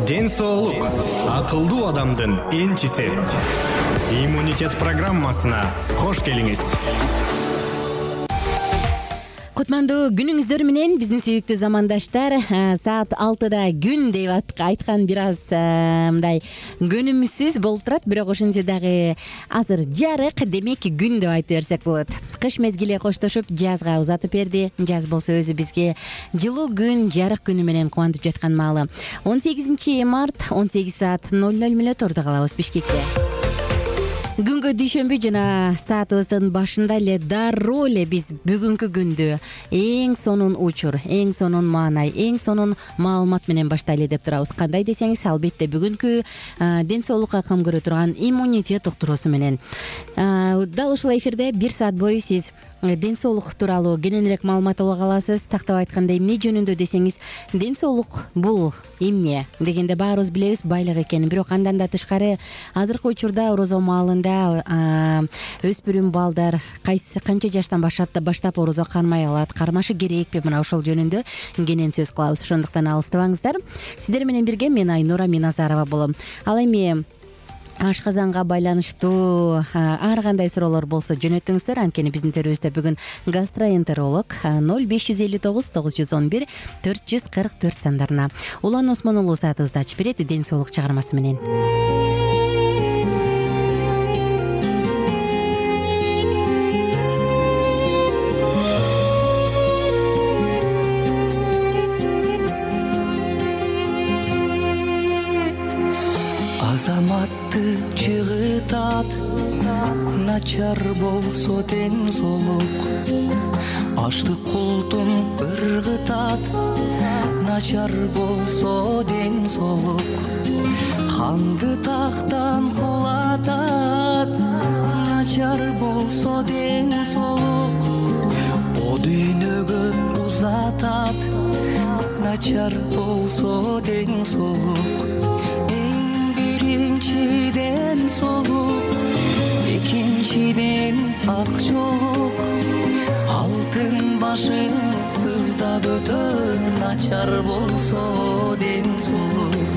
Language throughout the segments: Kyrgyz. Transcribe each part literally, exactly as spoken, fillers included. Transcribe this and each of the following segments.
Ден соолук акылдуу адамдын энчиси. Иммунитет программасына кош келиңиз. Кутмандуу күнүңүздөр менен биздин сүйүктүү замандаштар. Саат алтыда күн деп айткан бир аз мындай көнүмүсүз болуп турат, бирок ошентсе дагы азыр жарык, демек күн деп айтып берсек болот. Кыш мезгили коштошуп жазга узатып берди. Жаз болсо өзү бизге жылуу күн, жарык күнү менен кубантып жаткан маалы. он сегизинчи март он сегиз саат ноль ноль мүнөт ордо калабыз Бишкекте. Күнгө дүйшөмбү жана саатыбыздын башында эле дароо эле биз бүгүнкү күндү эң сонун учур, эң сонун маанай, эң сонун маалымат менен баштайлы деп турабыз. Кандай десеңиз, албетте бүгүнкү ден соолукка кам көрө турган иммунитет уктуруусу менен. Дал ушул эфирде бир саат бою сиз ден соолук тууралуу кененирээк маалымат ала аласыз. Тактап айтканда, эмне жөнүндө десеңиз, ден соолук бул эмне дегенде баарыбыз билебиз байлык экенин, бирок андан да тышкары азыркы учурда орозо маалында өспүрүм балдар кайсы канча жаштан баштап орозо кармай алат, кармашы керекпи, мына ошол жөнүндө кенен сөз кылабыз. Ошондуктан алыстабаңыздар. Сиздер менен бирге мен Айнура Миназарова болом. Ал эми ашказанга байланыштуу ар кандай суроолор болсо жөнөтүңүздөр. Анткени биздин төрүбүздө бүгүн гастроэнтеролог ноль беш жүз элүү тогуз тогуз жүз он бир төрт жүз кырк төрт сандарына. Улан Осмон уулу саатыбызды ачып берет ден соолук чыгармасы менен. Азаматты чыгытат, начар болсо ден соолук. Аштык култум ыргытат, начар болсо ден соолук. Канды тактан кулатат, начар болсо ден соолук. О дүйнөгө узатат, начар болсо ден соолук. Биринчиден соолук, экинчиден ак жолук. Алтын башың сыздап өтөт, начар болсо ден соолук.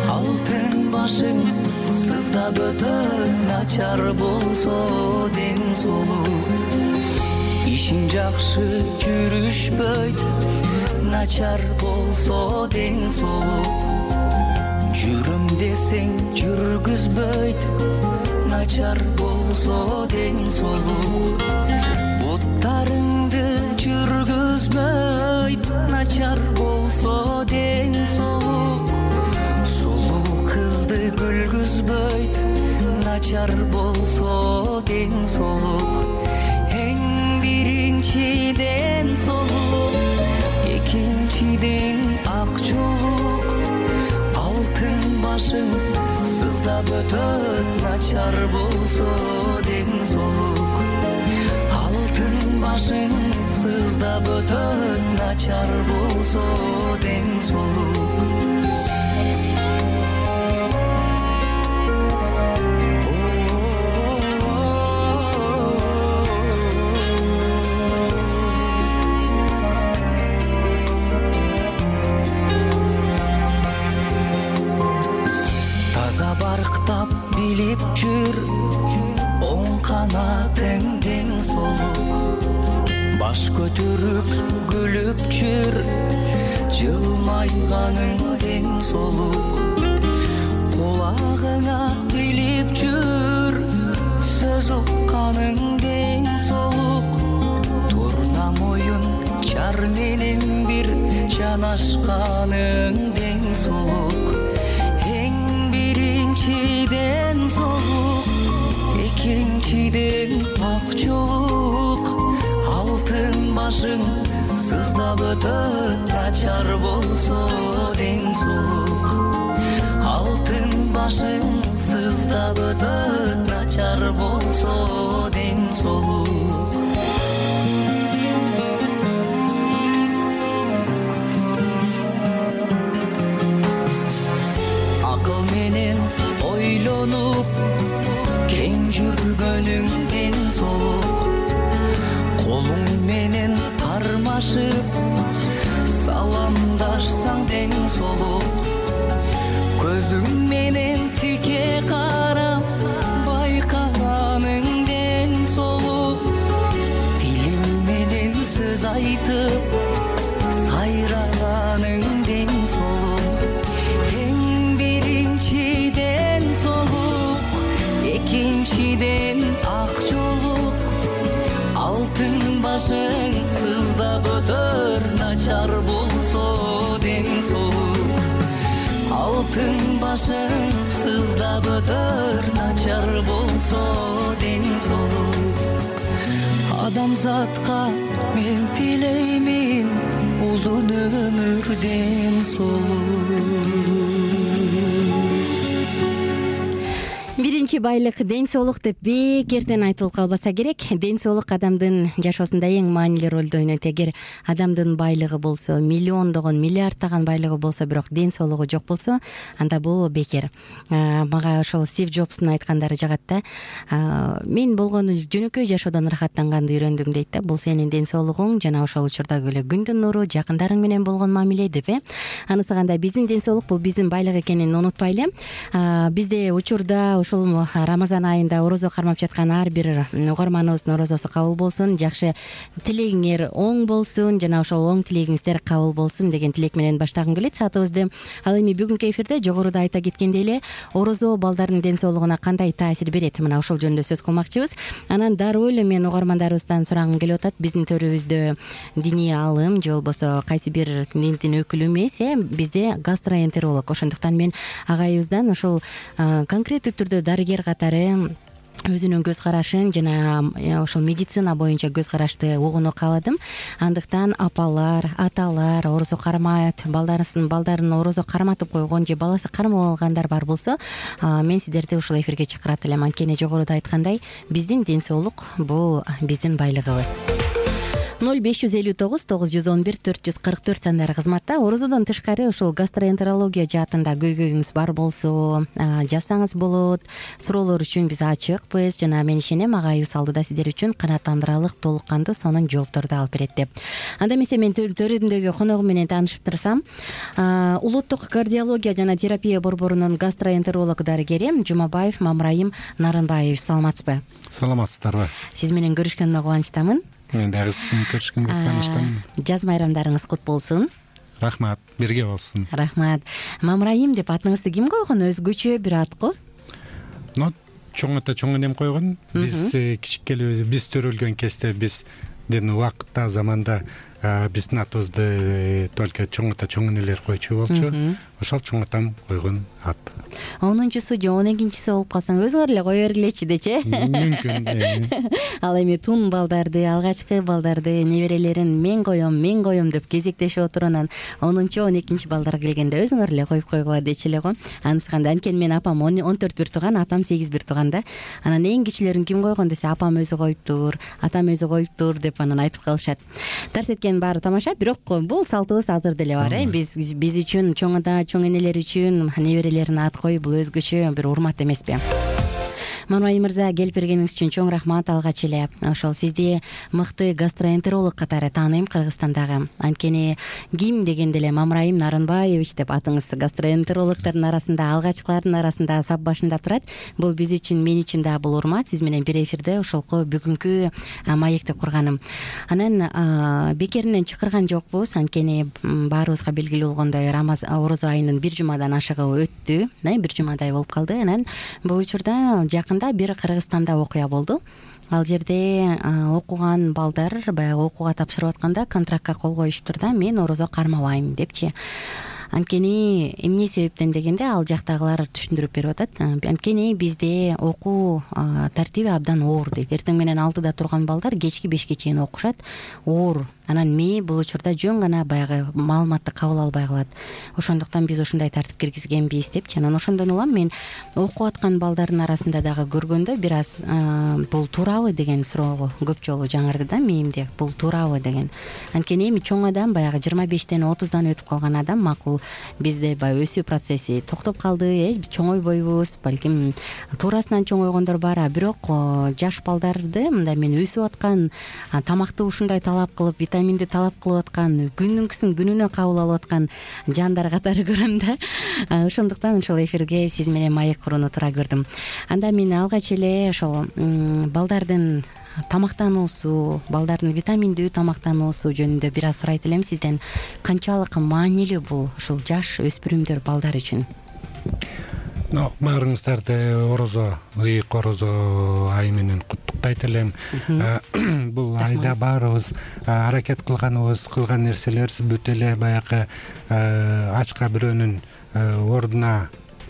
Алтын башың сыздап өтөт, начар болсо ден соолук. Ишиң жакшы жүрүшпөйт, начар болсо ден соолук. Жүрөм десең жүргүзбөйт, начар болсо ден соолук. Буттарыңды жүргүзбөйт, начар болсо ден соолук. Сулуу кызды күлгүзбөйт, начар болсо ден соолук. Эң биринчиден соолук, экинчиден ак жолук. Башың сыздап өтөт, начар болсо ден соолук. Алтын башың сыздап өтөт, начар болсо ден соолук. Барктап билип жүр, оң канатың ден соолук. Баш көтөрүп күлүп жүр, жылмайганың ден соолук. Кулагыңа билип жүр, сөз укканың ден соолук. Турна моюн жар менен бир жанашканың ден соолук. Биринчиден соолук, экинчиден ак жолук. Алтын башың сыздап өтөт, начар болсо ден соолук. Алтын башың сыздап өтөт, начар болсо ден соолук. Акыл менен ойлонуп, кең жүргөнүң ден соолук. Колуң менен кармашып, саламдашсаң ден айтып сайраганың ден соолук. Эң биринчиден соолук, экинчиден ак жолук. Алтын башың сыздап өтөр, начар болсо ден соолук. Алтын башың сыздап өтөр, начар болсо ден соолук. Адамзатка мен тилеймин узун өмүр, ден соолук. Биринчи байлык ден соолук деп бекертен айтылып калбаса керек. Ден соолук адамдын жашоосунда эң маанилүү ролду ойнойт. Эгер адамдын байлыгы болсо, миллиондогон, миллиардтаган байлыгы болсо, бирок ден соолугу жок болсо, анда бул бекер. Мага ошол Стив Джобстун айткандары жагат да. Мен болгону жөнөкөй жашоодон ырахаттанганды үйрөндүм дейт да. Бул сенин ден соолугуң жана ошол учурдагы эле күндүн нуру, жакындарың менен болгон мамиле деп э. Анысы кандай, биздин ден соолук бул биздин байлык экенин унутпайлы. Бизде учурда ушул Рамазан айында орозо кармап жаткан ар бир угарманыбыздын орозосу кабыл болсун, жакшы тилегиңер оң болсун жана ошол оң тилегиңиздер кабыл болсун деген тилек менен баштагым келет саатыбызды. Ал эми бүгүнкү эфирде жогоруда айта кеткендей эле орозо балдардын ден соолугуна кандай таасир берет, мына ошол жөнүндө сөз кылмакчыбыз. Анан дароо эле мен угармандарыбыздан сурагым келип атат. Биздин төрүбүздө диний аалым же болбосо кайсы бир диндин өкүлү эмес, э бизде гастроэнтеролог. Ошондуктан мен агайыбыздан ошол конкреттүү түрдө дарыгер катары өзүнүн көз карашын жана ошол медицина боюнча көз карашты угууну кааладым. Андыктан апалар, аталар орозо кармайт, балдарысын балдарын орозо карматып койгон же баласы кармап алгандар бар болсо, мен сиздерди ушул эфирге чакырат элем. Анткени жогоруда айткандай, биздин ден соолук бул биздин байлыгыбыз. ноль беш жүз элүү тогуз тогуз жүз он бир төрт жүз кырк төрт сандары кызматта. Орозодон тышкары ушул гастроэнтерология жаатында көйгөйүңүз бар болсо жазсаңыз болот. Суроолор үчүн биз ачыкпыз жана мен ишенем агайыбыз алдыда сиздер үчүн канааттандырарлык толук кандуу сонун жоопторду алып берет деп. Анда эмесе мен төрүндөгү коногум менен тааныштырсам, улуттук кардиология жана терапия борборунун гастроэнтеролог дарыгери Жумабаев Мамраим Нарынбаевич, саламатсызбы? Саламатсыздарбы? Сиз менен көрүшкөнүмө кубанычтамын. Мен дагы сиздин көрүшкөнгө кубанычтамын. Жаз майрамдарыңыз кут болсун. Рахмат, бирге болсун. Рахмат. Мамраим деп атыңызды ким койгон? Өзгөчө бир ат го. Но чоң ата чоң энем койгон. Биз кичикеле биз төрөлгөн кезде биздин убакытта заманда биздин атыбызды только чоң ата чоң энелер койчу болчу. Ошол чоң атам койгон ат. онунчусу же он экинчиси болуп калсаң өзүңөр эле кое бергилечи дечи. Мүмкүн. Ал эми тун балдарды, алгачкы балдарды, неберелерин мен коем, мен коем деп кезектешип отуруп, анан онунчу он экинчи балдар келгенде өзүңөр эле коюп койгула дечи эле го. Анысы кандай? Анткени мен апам он төрт бир тууган, атам сегиз бир тууган да. Анан эң кичилерин ким койгон десе, апам өзү коюптур, атам өзү коюптур деп анан айтып калышат. Тарс эткенин баары тамаша, бирок бул салтыбыз азыр деле бар э. Биз биз үчүн чоң ата, чоң энелер үчүн неберелерин ат коюп бул өзгөчө бир урмат эмеспи? Мамраим мырза, келип бергениңиз үчүн чоң рахмат. Алгач эле ошол сизди мыкты гастроэнтеролог катары тааныйм Кыргызстандагы. Анткени ким дегенде эле Мамраим Нарынбаевич деп атыңыз гастроэнтерологдордун арасында, алгачкылардын арасында сап башында турат. Бул биз үчүн, мен үчүн да бул урмат. Сиз менен бир эфирде ошолку бүгүнкү маекти курганым. Анан бекеринен чакырган жокпуз. Анткени баарыбызга белгилүү болгондой, Рамазан орозо айынын бир жумадан ашыгы өттү. Бир жумадай болуп калды. Анан бул учурда жакын бир Кыргызстанда окуя болду. Ал жерде окуган балдар баягы окууга тапшырып атканда контрактка кол коюшуптур да, мен орозо кармабайм депчи. Анткени эмне себептен дегенде ал жактагылар түшүндүрүп берип атат. Анткени бизде окуу тартиби абдан оор дейт. Эртең менен алтыда турган балдар кечки бешке чейин окушат. Оор. Анан мээ бул учурда жөн гана баягы маалыматты кабыл албай калат. Ошондуктан биз ушундай тартип киргизгенбиз депчи. Анан ошондон улам мен окуп аткан балдардын арасында дагы көргөндө бир аз бул туурабы деген суроо көп жолу жаңырды да мээмде. Бул туурабы деген. Анткени эми чоң адам баягы жыйырма бештен отуздан өтүп калган адам макул. Бизде баягы өсүү процесси токтоп калды, э биз чоңойбойбуз, балким туурасынан чоңойгондор бар, а бирок жаш балдарды мындай мен өсүп аткан, тамакты ушундай талап кылып, витаминди талап кылып аткан, күнүнкүсүн күнүнө кабыл алып аткан жандар катары көрөм да. Ошондуктан ушул эфирге сиз менен маек курууну туура көрдүм. Анда мен алгач эле ошол балдардын тамактануусу, балдардын витаминдүү тамактануусу жөнүндө бир аз сурайт элем сизден. Канчалык маанилүү бул ушул жаш өспүрүмдөр балдар үчүн? Баарыңыздарды орозо, ыйык орозо айы менен куттуктайт элем. Бул айда баарыбыз аракет кылганыбыз, кылган нерселерибиз бүт эле баягы ачка бирөөнүн ордуна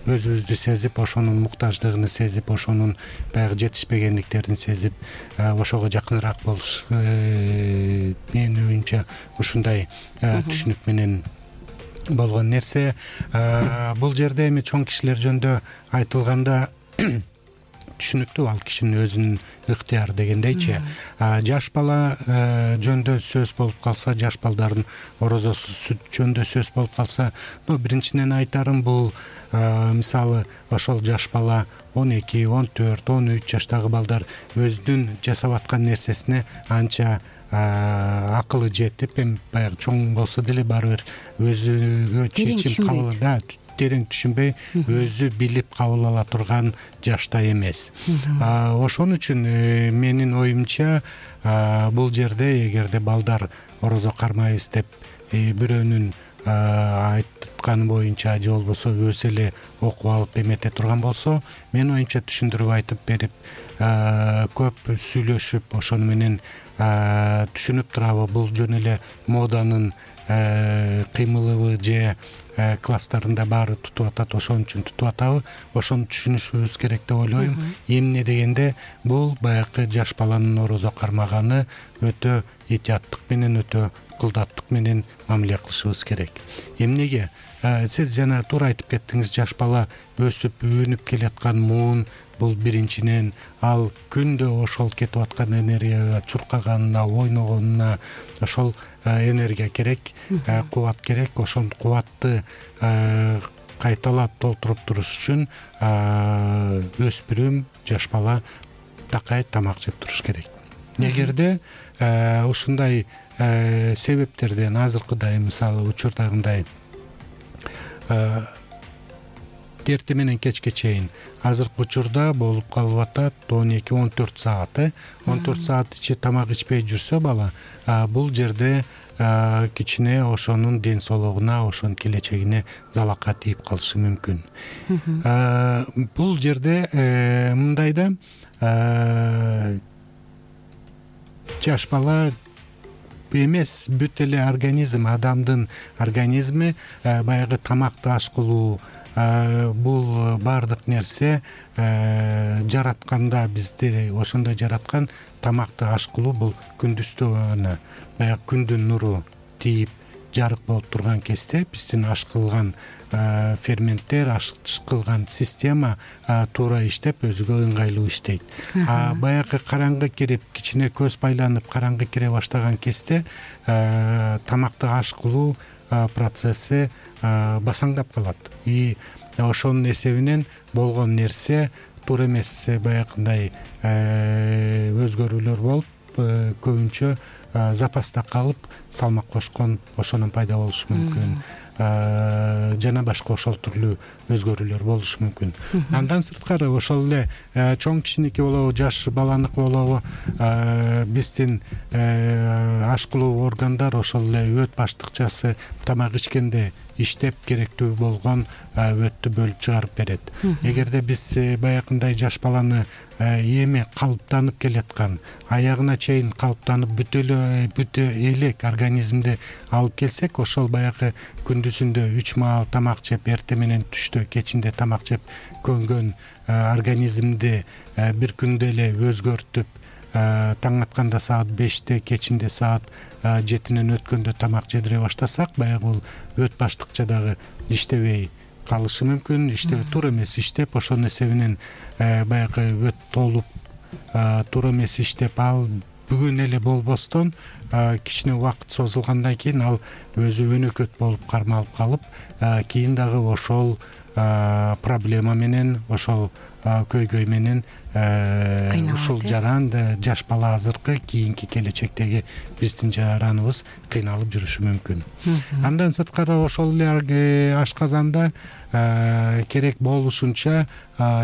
өзүбүздү сезип, ошонун муктаждыгын сезип, ошонун баягы жетишпегендиктерин сезип, ошого жакыныраак болуш менин оюмча ушундай түшүнүк менен болгон нерсе. Бул жерде эми чоң кишилер жөнүндө айтылганда түшүнүктүү, ал кишинин өзүнүн ыктыяры дегендейчи. Жаш бала жөнүндө сөз болуп калса, жаш балдардын орозосу сүт жөнүндө сөз болуп калса, биринчиден айтарым бул мисалы ошол жаш бала он эки, он төрт, он үч жаштагы балдар өзүнүн жасап аткан нерсесине анча акылы жетип, эми баягы чоң болсо деле баары бир өзүгө чечим кабыл да терең түшүнбөй, өзү билип кабыл ала турган жашта эмес. Ошон үчүн менин оюмча бул жерде эгерде балдар орозо кармайбыз деп бирөөнүн айтканы боюнча же болбосо өзү эле окуп алып эмете турган болсо, менин оюмча түшүндүрүп айтып берип, көп сүйлөшүп, ошону менен түшүнүп турабы, бул жөн эле моданын кыймылыбы же класстарында баары тутуп атат, ошон үчүн тутуп атабы, ошону түшүнүшүбүз керек деп ойлойм. Эмне дегенде бул баягы жаш баланын орозо кармаганы өтө этияттык менен, өтө кылдаттык менен мамиле кылышыбыз керек. Эмнеге? Сиз жана туура айтып кеттиңиз, жаш бала өсүп өнүп келаткан муун, бул биринчиден ал күндө ошол кетип аткан энергияга чуркаганына, ойногонуна ошол энергия керек, кубат керек. Ошол кубатты кайталап толтуруп туруш үчүн өспүрүм, жаш бала такай тамак жеп туруш керек. Эгерде ушундай себептерден азыркыдай, мисалы учурдагындай эрте менен кечке чейин азыркы учурда болуп калып атат он эки он төрт саат. он төрт саат ичи тамак ичпей жүрсө бала, бул жерде кичине ошонун ден соолугуна, ошонун келечегине залака тийип калышы мүмкүн. Бул жерде мындай да, жаш бала эмес, бүт эле организм, адамдын организми баягы тамакты аш кылуу, бул баардык нерсе жаратканда, бизди ошондой жараткан, тамакты аш кылуу бул күндүздө гана, баягы күндүн нуру тийип жарык болуп турган кезде биздин аш кылган ферменттер, аш кылган система туура иштеп, өзүгө ыңгайлуу иштейт. Баягы караңгы кирип, кичине көз байланып караңгы кире баштаган кезде тамакты аш кылуу процесси басаңдап калат. И ошонун эсебинен болгон нерсе туура эмес, баягындай өзгөрүүлөр болуп, көбүнчө запаста калып, салмак кошкон ошонун пайда болушу мүмкүн. Жана башка ошол түрлүү өзгөрүүлөр болушу мүмкүн. Андан сырткары ошол эле чоң кишиники болобу, жаш баланыкы болобу, биздин аш кылуу органдар ошол эле өт баштыкчасы тамак ичкенде иштеп керектүү болгон өттү бөлүп чыгарып берет. Эгерде биз баягындай жаш баланы эми калыптанып келаткан, аягына чейин калыптанып бүтө элек организмди алып келсек, ошол баягы күндүзүндө үч маал тамак жеп, эрте менен түштө, кечинде тамак жеп көнгөн организмди бир күндө эле өзгөртүп, таң атканда саат беште, кечинде саат жетинен өткөндө тамак жедире баштасак, баягы бул өт баштыкчадагы иштебей калышы мүмкүн. Иштебей, туура эмес иштеп, ошонун эсебинен баягы өт толуп, туура эмес иштеп, ал бүгүн эле болбостон кичине убакыт созулгандан кийин ал өзү өнөкөт болуп кармалып калып, кийин дагы ошол проблема менен, ошол көйгөй менен ушул жаран жаш бала азыркы кийинки келечектеги биздин жараныбыз кыйналып жүрүшү мүмкүн. Андан сырткары ошол эле ашказанда керек болушунча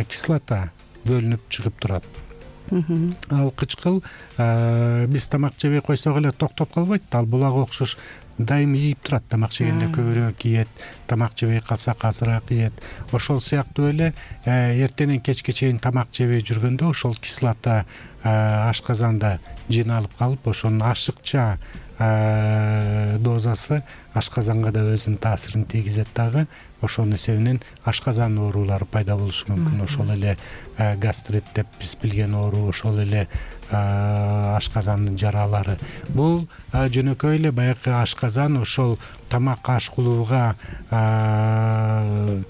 кислота бөлүнүп чыгып турат. ал кычкыл биз тамак жебей койсок эле токтоп калбайт да, ал булага окшош дайым ийип турат. Тамак жегенде көбүрөөк ийет, тамак жебей калсак азыраак ийет. Ошол сыяктуу эле эртенен кечке чейин тамак жебей жүргөндө ошол кислота ашказанда жыйналып калып, ошонун ашыкча дозасы ашказанга да өзүнүн таасирин тийгизет дагы. Ошонун эсебинен ашказан оорулары пайда болушу мүмкүн. Ошол эле гастрит деп биз билген оору, ошол эле ашказандын жаралары. Бул жөнөкөй эле баягы ашказан ошол тамак ашкылууга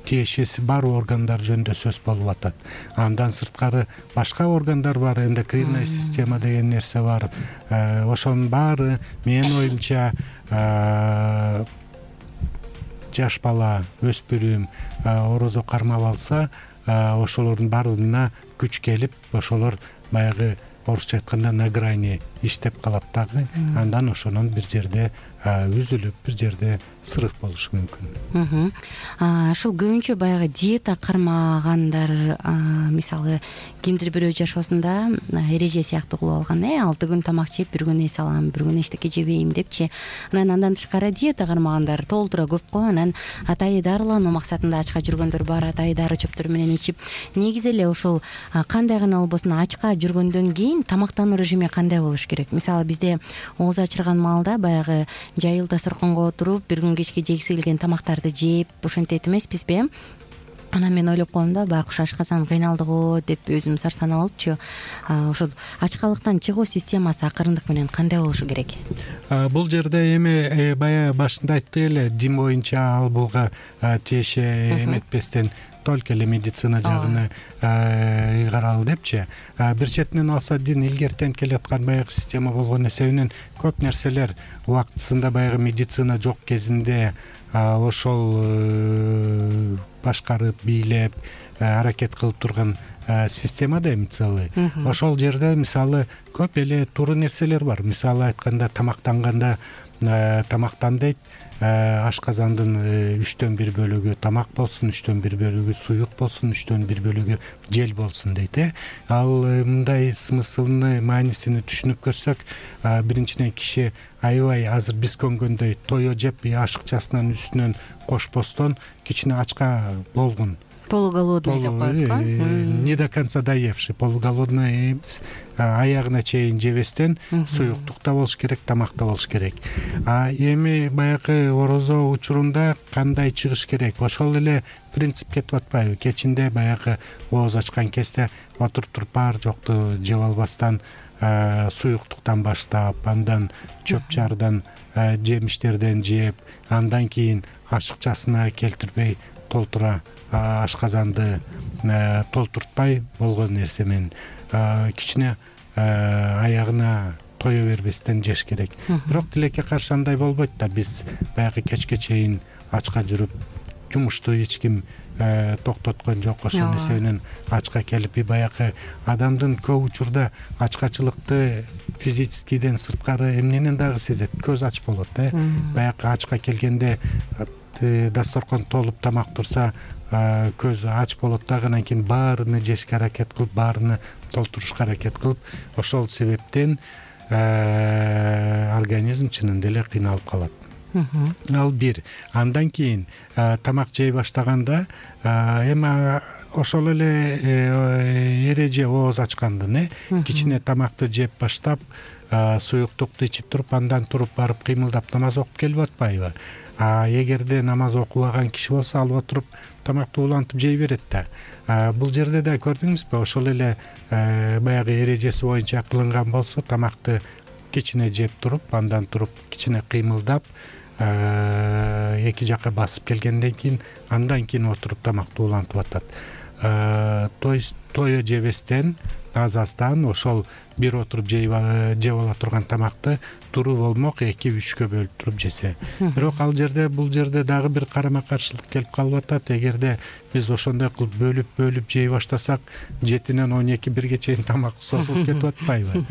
тиешеси бар органдар жөнүндө сөз болуп атат. Андан сырткары башка органдар бар, эндокринная система деген нерсе бар. Ошонун баары менин оюмча жаш бала, өспүрүм орозо кармап алса, ошолордун баарына күч келип, ошолор баягы орусча айтканда на грани иштеп калат дагы. Андан ошонун бир жерде үзүлүп, бир жерде сырык болушу мүмкүн. Ушул көбүнчө баягы диета кармагандар, мисалы кимдир бирөө жашоосунда эреже сыяктуу кылып алган, э алты күн тамак жеп, бир күн эс алам, бир күн эчтеке жебейм депчи. Анан андан тышкары диета кармагандар толтура көп го. Анан атайы дарылануу максатында ачка жүргөндөр бар, атайы дары чөптөр менен ичип. Негизи эле ушул кандай гана болбосун ачка жүргөндөн кийин тамактануу режими кандай болуш керек? Мисалы бизде ооз ачырган маалда баягы жайыл дасторконго отуруп, бир күн кечке жегиси келген тамактарды жеп ошентет эмеспизби? Анан мен ойлоп коем да, байкуш ашказан кыйналды го деп өзүм сарсанап алыпчы. Ошол ачкалыктан чыгуу системасы акырындык менен кандай болушу керек? Бул жерде эми бая башында айттык эле, дин боюнча ал буга тиеше эметпестен только эле медицина жагына ыйгаралы депчи. Бир четинен алса, дин илгертен келаткан баягы система болгон эсебинен көп нерселер убактысында баягы медицина жок кезинде ошол башкарып, бийлеп, аракет кылып турган система да мисалы. Ошол жерде мисалы көп эле туура нерселер бар. Мисалы айтканда тамактанганда тамактан дейт, ашказандын үчтөн бир бөлүгү тамак болсун, үчтөн бир бөлүгү суюк болсун, үчтөн бир бөлүгү жел болсун дейт. э Ал мындай смыслыны, маанисини түшүнүп көрсөк, биринчиден киши аябай азыр биз көнгөндөй тое жеп ашыкчасынан үстүнөн кошпостон кичине ачка болгон, полуголодный деп коет го. Не до конца доевший, полуголодный, аягына чейин жебестен суюктукта болуш керек, тамакта болуш керек. А эми баягы орозо учурунда кандай чыгыш керек? Ошол эле принцип кетип атпайбы? Кечинде баягы ооз ачкан кезде отуруп туруп бар жокту жеп албастан, суюктуктан баштап, андан чөп-чардан, жемиштерден жеп, андан кийин ашыкчасына келтирбей толтура ашказанды толтуртпай болгон нерсе менен кичине аягына тое бербестен жеш керек. Бирок тилекке каршы андай болбойт да. Биз баягы кечке чейин ачка жүрүп, жумушту эч ким токтоткон жок. Ошонун эсебинен ачка келип, баягы адамдын көп учурда ачкачылыкты физическийден сырткары эмненен дагы сезет. Көз ач болот, э баягы ачка келгенде дасторкон толуп тамак турса, көз ач болот дагы, анан кийин баарыны жешке аракет кылып, баарыны толтурушка аракет кылып, ошол себептен организм чынында эле кыйналып калат. Ал бир. Андан кийин тамак жей баштаганда эми ошол эле эреже ооз ачкандын, э кичине тамакты жеп баштап, суюктукту ичип туруп, андан туруп барып кыймылдап намаз окуп келип атпайбы? А эгерде намаз окубаган киши болсо, алып отуруп тамакты улантып жей берет да. Бул жерде да көрдүңүзбү, ошол эле баягы эрежеси боюнча кылынган болсо, тамакты кичине жеп туруп, андан туруп кичине кыймылдап, эки жака басып келгенден кийин, андан кийин отуруп тамакты улантып атат. То есть тое жебестен, аз-аздан ошол бир отуруп жеп ала турган тамакты туруу болмок эки үчкө бөлүп туруп жесе. Бирок ал жерде, бул жерде дагы бир карама каршылык келип калып атат. Эгерде биз ошондой кылып бөлүп бөлүп жей баштасак, жетинен он эки бирге чейин тамак созулуп кетип атпайбы?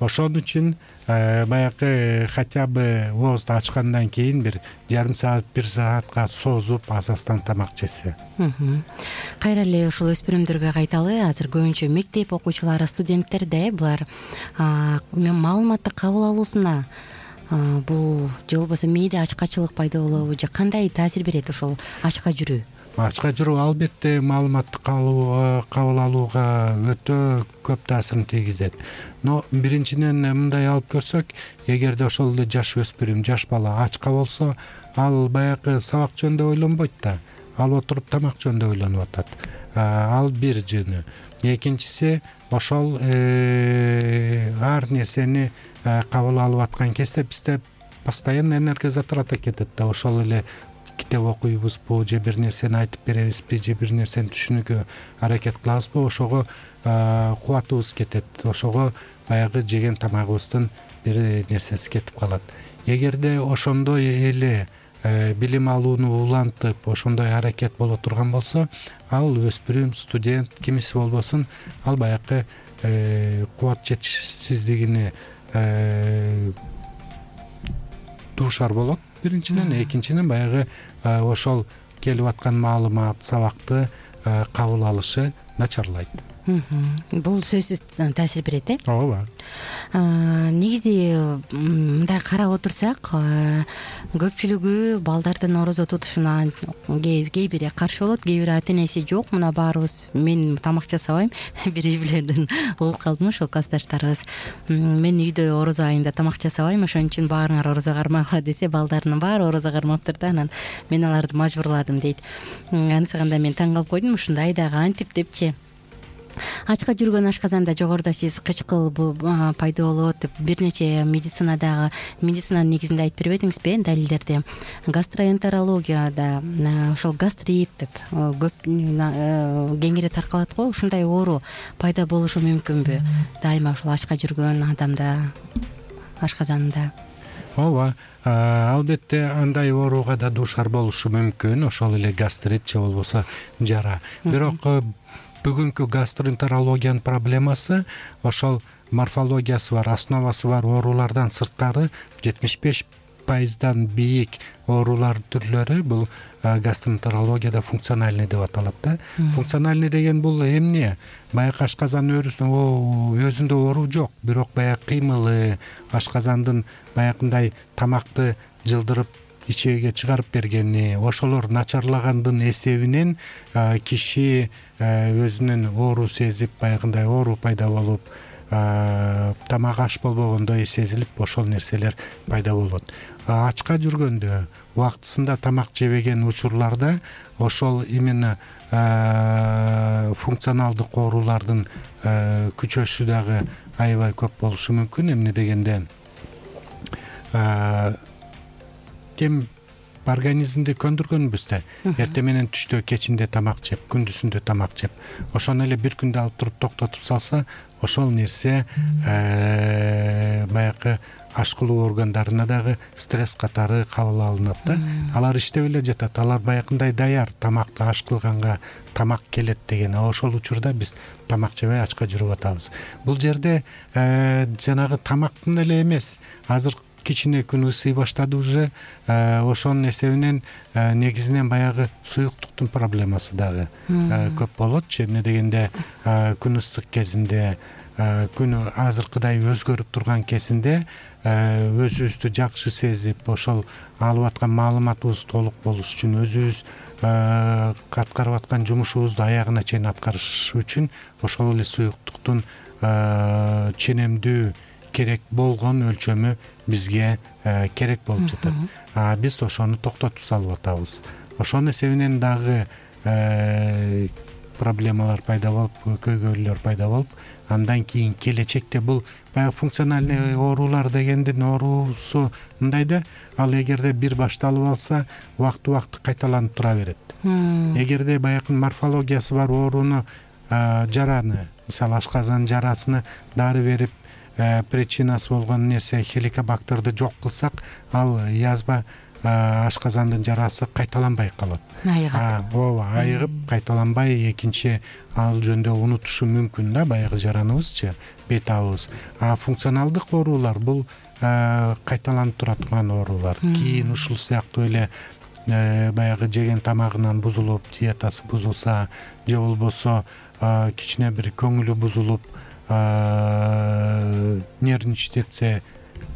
Ошон үчүн баягы хотя бы оозду ачкандан кийин бир жарым саат, бир саатка созуп аз-аздан тамак жесе. Кайра эле ушул өспүрүмдөргө кайталы. Азыр көбүнчө мектеп окуучулары, студенттер да э булар маалыматты кабыл алуусуна бул же болбосо мээде ачкачылык пайда болобу же кандай таасир берет ошол ачка жүрүү? Ачка жүрүү албетте маалыматты кабыл алууга өтө көп таасирин тийгизет. Но биринчиден мындай алып көрсөк, эгерде ошол эле жаш өспүрүм, жаш бала ачка болсо, ал баягы сабак жөнүндө ойлонбойт да, ал отуруп тамак жөнүндө ойлонуп атат. Ал бир жөнү. Экинчиси, ошол ар нерсени кабыл алып аткан кезде бизде постоянно энергия затрата кетет да. Ошол эле китеп окуйбузбу же бир нерсени айтып беребизби же бир нерсени түшүнүүгө аракет кылабызбы, ошого кубатыбыз кетет, ошого баягы жеген тамагыбыздын бир нерсеси кетип калат. Эгерде ошондой эле билим алууну улантып, ошондой аракет боло турган болсо, ал өспүрүм, студент, кимиси болбосун, ал баягы кубат жетишсиздигине дуушар болот биринчиден. Экинчиден баягы ошол келип аткан маалымат, сабакты кабыл алышы начарлайт. Бул сөзсүз таасир берет э? Ооба. Негизи мындай карап отурсак, көпчүлүгү балдардын орозо тутушуна кээ бири каршы болот, кээ бири ата энеси жок, мына баарыбыз мен тамак жасабайм, бир билерден угуп калдым ошол классташтарыбыз. Мен үйдө орозо айында тамак жасабайм, ошон үчүн баарыңар орозо кармагыла десе, балдарынын баары орозо кармаптыр да, анан мен аларды мажбурладым дейт. Анысыганда мен таң калып койдум, ушундай дагы антип депчи. Ачка жүргөн ашказанда жогоруда сиз кычкыл пайда болот деп бир нече медицинадагы медицинанын негизинде айтып бербедиңизби э, далилдерди? Гастроэнтерологияда ошол гастрит деп көп кеңири таркалат го, ушундай оору пайда болушу мүмкүнбү дайыма ошол ачка жүргөн адамда, ашказанында? Ооба, албетте андай ооруга да дуушар болушу мүмкүн, ошол эле гастрит же болбосо жара. Бирок бүгүнкү гастроэнтерологиянын проблемасы ошол морфологиясы бар, основасы бар оорулардан сырткары жетимиш беш пайыздан бийик оорулар түрлөрү бул гастроэнтерологияда функциональный деп аталат да. Функциональный деген бул эмне? Баягы ашказан өзүндө оору жок, бирок баягы кыймылы, ашказандын баягындай тамакты жылдырып ичээге чыгарып бергени, ошолор начарлагандын эсебинен киши өзүнүн оору сезип, баягындай оору пайда болуп, тамак аш болбогондой сезилип, ошол нерселер пайда болот. Ачка жүргөндө, убактысында тамак жебеген учурларда ошол именно функционалдык оорулардын күчөшү дагы аябай көп болушу мүмкүн. Эмне дегенде кем организмди көндүргөнбүз да. Эртең менен түштө, кечинде тамак жеп, күндүзүндө тамак жеп, ошону эле бир күндө алып туруп токтотуп салса, ошол нерсе баягы ашкылуу органдарына дагы стресс катары кабыл алынат да. Алар иштеп эле жатат, алар баягындай даяр, тамакты аш кылганга тамак келет деген. Ошол учурда биз тамак жебей ачка жүрүп атабыз. Бул жерде жанагы тамактын эле эмес, азыр кичине күн ысый баштады уже, ошонун эсебинен негизинен баягы суюктуктун проблемасы дагы көп болот. Эмне дегенде күн ысык кезинде, күнү азыркыдай өзгөрүп турган кезинде өзүбүздү жакшы сезип, ошол алып аткан маалыматыбыз толук болуш үчүн, өзүбүз аткарып аткан жумушубузду аягына чейин аткарыш үчүн ошол эле суюктуктун ченемдүү керек болгон өлчөмү бизге керек болуп жатат. Биз ошону токтотуп салып атабыз. Ошонун эсебинен дагы проблемалар пайда болуп, көйгөйлөр пайда болуп, андан кийин келечекте бул баягы функциональный оорулар дегендин оорусу мындай да, ал эгерде бир башталып алса, убакты-убакты кайталанып тура берет. Эгерде баягы морфологиясы бар ооруну, жараны, мисалы ашказан жарасыны дары берип, причинасы болгон нерсе хеликобактерди жок кылсак, ал язба ашказандын жарасы кайталанбай калат. Айыгат. Ооба, айыгып кайталанбай экинчи ал жөнүндө унутушу мүмкүн да, баягы жараныбызчы, бет абыбыз. А функционалдык оорулар бул кайталанып тура турган оорулар. Кийин ушул сыяктуу эле баягы жеген тамагынан бузулуп, диетасы бузулса, же болбосо кичине бир көңүлү бузулуп, нервничать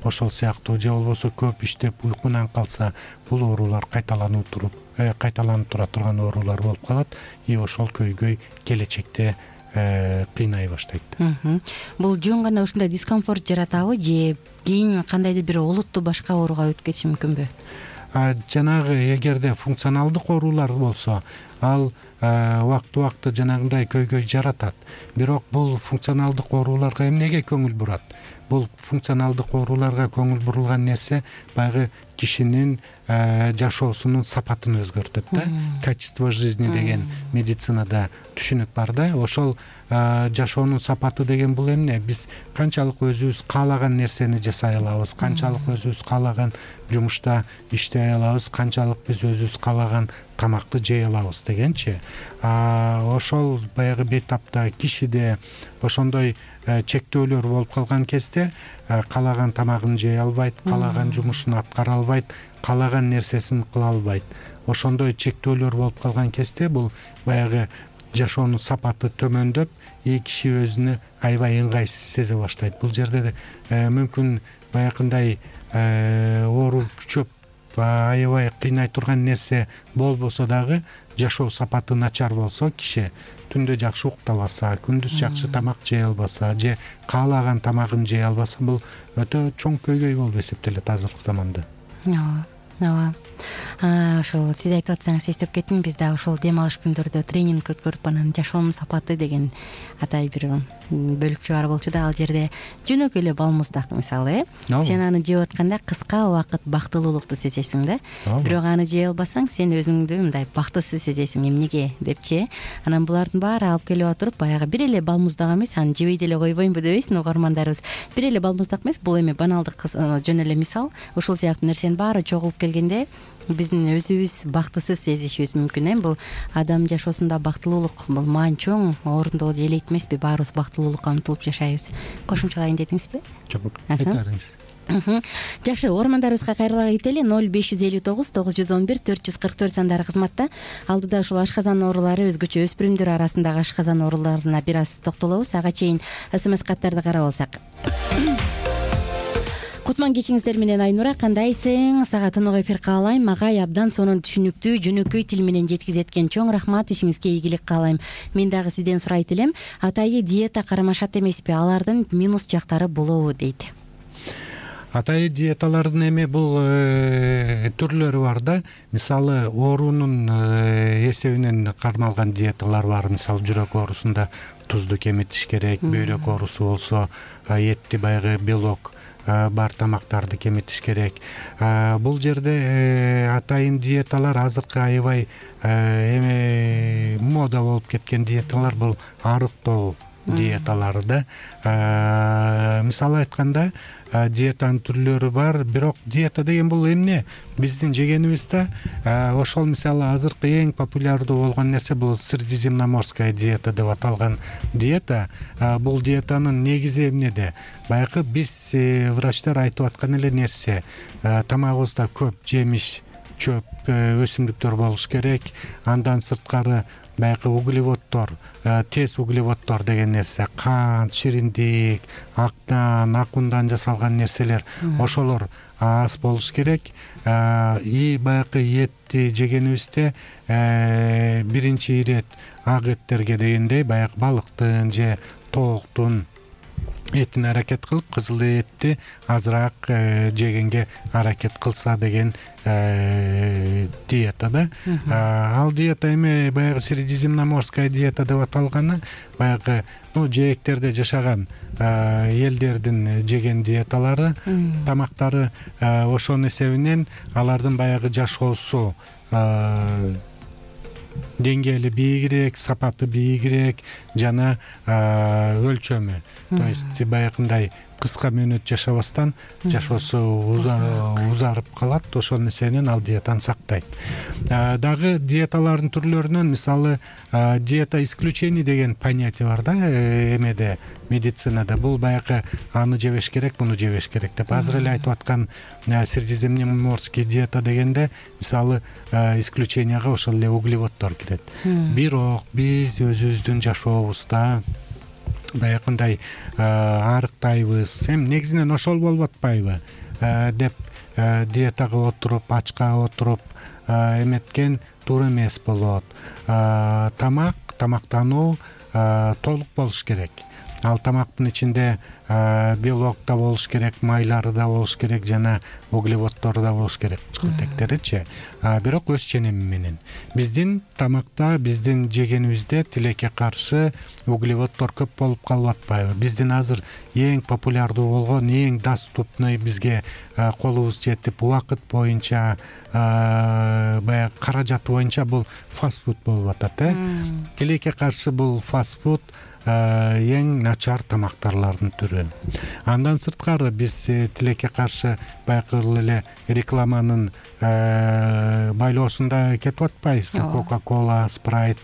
ошол сыяктуу, же болбосо көп иштеп уйкунан калса, бул оорулар кайталанып туруп, кайталанып тура турган оорулар болуп калат. И ошол көйгөй келечекте кыйнай баштайт. Бул жөн гана ушундай дискомфорт жаратабы же кийин кандайдыр бир олуттуу башка ооруга өтүп кетиши мүмкүнбү? Жанагы эгерде функционалдык оорулар болсо, ал убакыт убакыт жанагындай көйгөй жаратат. Бирок бул функционалдык ооруларга эмнеге көңүл бурат? Бул функционалдык ооруларга көңүл бурулган нерсе баягы кишинин жашоосунун сапатын өзгөртөт да. Качество жизни деген медицинада түшүнүк бар да. Ошол жашоонун сапаты деген бул эмне? Биз канчалык өзүбүз каалаган нерсени жасай алабыз, канчалык өзүбүз каалаган жумушта иштей алабыз, канчалык биз өзүбүз каалаган тамакты жей алабыз дегенчи. Ошол баягы бейтапта кишиде ошондой чектөөлөр болуп калган кезде каалаган тамагын жей албайт, каалаган жумушун аткара албайт, каалаган нерсесин кыла албайт. Ошондой чектөөлөр болуп калган кезде бул баягы жашоонун сапаты төмөндөп, и киши өзүнө аябай ыңгайсыз сезе баштайт. Бул жерде мүмкүн баягындай оору күчөп аябай кыйнай турган нерсе болбосо дагы, жашоо сапаты начар болсо, киши түндө жакшы уктабаса, күндүз жакшы тамак жей албаса, же каалаган тамагын жей албаса, бул өтө чоң көйгөй болуп эсептелет азыркы заманда. Ооба, ооба. Ошол сиз айтып атсаңыз эстеп кеттим, биз да ошол дем алыш күндөрдө тренинг өткөрүп, анан жашоонун сапаты деген атай бир бөлүкчө бар болчу да, ал жерде жөнөкөй эле балмуздак мисалы, э сен аны жеп атканда кыска убакыт бактылуулукту сезесиң да. Бирок аны жей албасаң, сен өзүңдү мындай бактысыз сезесиң, эмнеге депчи. Анан булардын баары алып келип отуруп, баягы бир эле балмуздак эмес, аны жебей деле койбоймбу дебейсиң угармандарыбыз. Бир эле балмуздак эмес, бул эми баналдык жөн эле мисал. Ошол сыяктуу нерсенин баары чогулуп келгенде биздин өзүбүз бактысыз сезишибиз мүмкүн. Э бул адам жашоосунда бактылуулук бул маани чоң орунду ээлейт эмеспи? Баарыбыз бактылуулукка умтулуп жашайбыз. Кошумчалайын дедиңизби? Жок, айтарыңыз. Жакшы, угармандарыбызга кайрыла кетели. ноль беш жүз элүү тогуз тогуз жүз он бир төрт жүз кырк төрт сандары кызматта. Алдыда ушул ашказан оорулары, өзгөчө өспүрүмдөр арасындагы ашказан ооруларына бир аз токтолобуз. Ага чейин смс каттарды карап алсак. Кутман кечиңиздер менен Айнура, кандайсың? Сага тынык эфир каалайм. Агай абдан сонун түшүнүктүү, жөнөкөй тил менен жеткизеткен. Чоң рахмат, ишиңизге ийгилик каалайм. Мен дагы сизден сурайт элем, атайы диета кармашат эмеспи? Алардын минус жактары болобу дейт. Атайы диеталардын эми бул түрлөрү бар да. Мисалы, оорунун эсебинен кармалган диеталар бар. Мисалы, жүрөк оорусунда тузду кемитиш керек, бөйрөк оорусу болсо этти баягы белок бар тамактарды кемитиш керек. Бул жерде атайын диеталар азыркы аябай эме мода болуп кеткен диеталар, бул арыктоо диеталары да. Мисалы айтканда, диетанын түрлөрү бар, бирок диета деген бул эмне? Биздин жегенибиз да. Ошол мисалы азыркы эң популярдуу болгон нерсе бул средиземноморская диета деп аталган диета. Бул диетанын негизи эмнеде? Баягы биз врачтар айтып аткан эле нерсе, тамагыбызда көп жемиш, чөп, өсүмдүктөр болуш керек. Андан сырткары баягы углеводдор, тез углеводдор деген нерсе, кант, шириндик, актан, ак ундан жасалган нерселер, ошолор аз болуш керек. И баягы этти жегенибизде биринчи ирет ак эттерге дегендей баягы балыктын же тооктун этин аракет кылып, кызыл этти азыраак жегенге аракет кылса деген диета да. Ал диета эми баягы средиземноморская диета деп аталганы баягы жээктерде жашаган элдердин жеген диеталары, тамактары. Ошонун эсебинен алардын баягы жашоосу деңгээли бийигирээк, сапаты бийигирээк жана өлчөмү, то есть баягындай кыска мөөнөт жашабастан жашоосу узарып калат. Ошол нерсенен ал диетаны сактайт. Дагы диеталардын түрлөрүнөн мисалы диета исключений деген понятие бар да эмеде, медицинада. Бул баягы аны жебеш керек, муну жебеш керек деп. Азыр эле айтып аткан средиземноморский диета дегенде мисалы исключенияга ошол эле углеводдор кирет. Бирок биз өзүбүздүн жашообузда баягындай арыктайбыз. Эми негизинен ошол болуп атпайбы деп диетага отуруп, ачка отуруп эметкен туура эмес болот. Тамак, тамактануу толук болуш керек. Ал тамактын ичинде белок да болуш керек, майлары да болуш керек, жана углеводдору да болуш керек, кычкылтектеричи. Бирок өз ченеми менен. Биздин тамакта, биздин жегенибизде тилекке каршы углеводдор көп болуп калып атпайбы? Биздин азыр эң популярдуу болгон, эң доступный бизге колубуз жетип, убакыт боюнча, баягы каражаты боюнча бул фастфуд болуп атат, э? Тилекке каршы бул фастфуд эң начар тамактарлардын түрү. Андан сырткары биз тилекке каршы баягы эле рекламанын байлоосунда кетип атпайбызбы? Кока-кола, спрайт,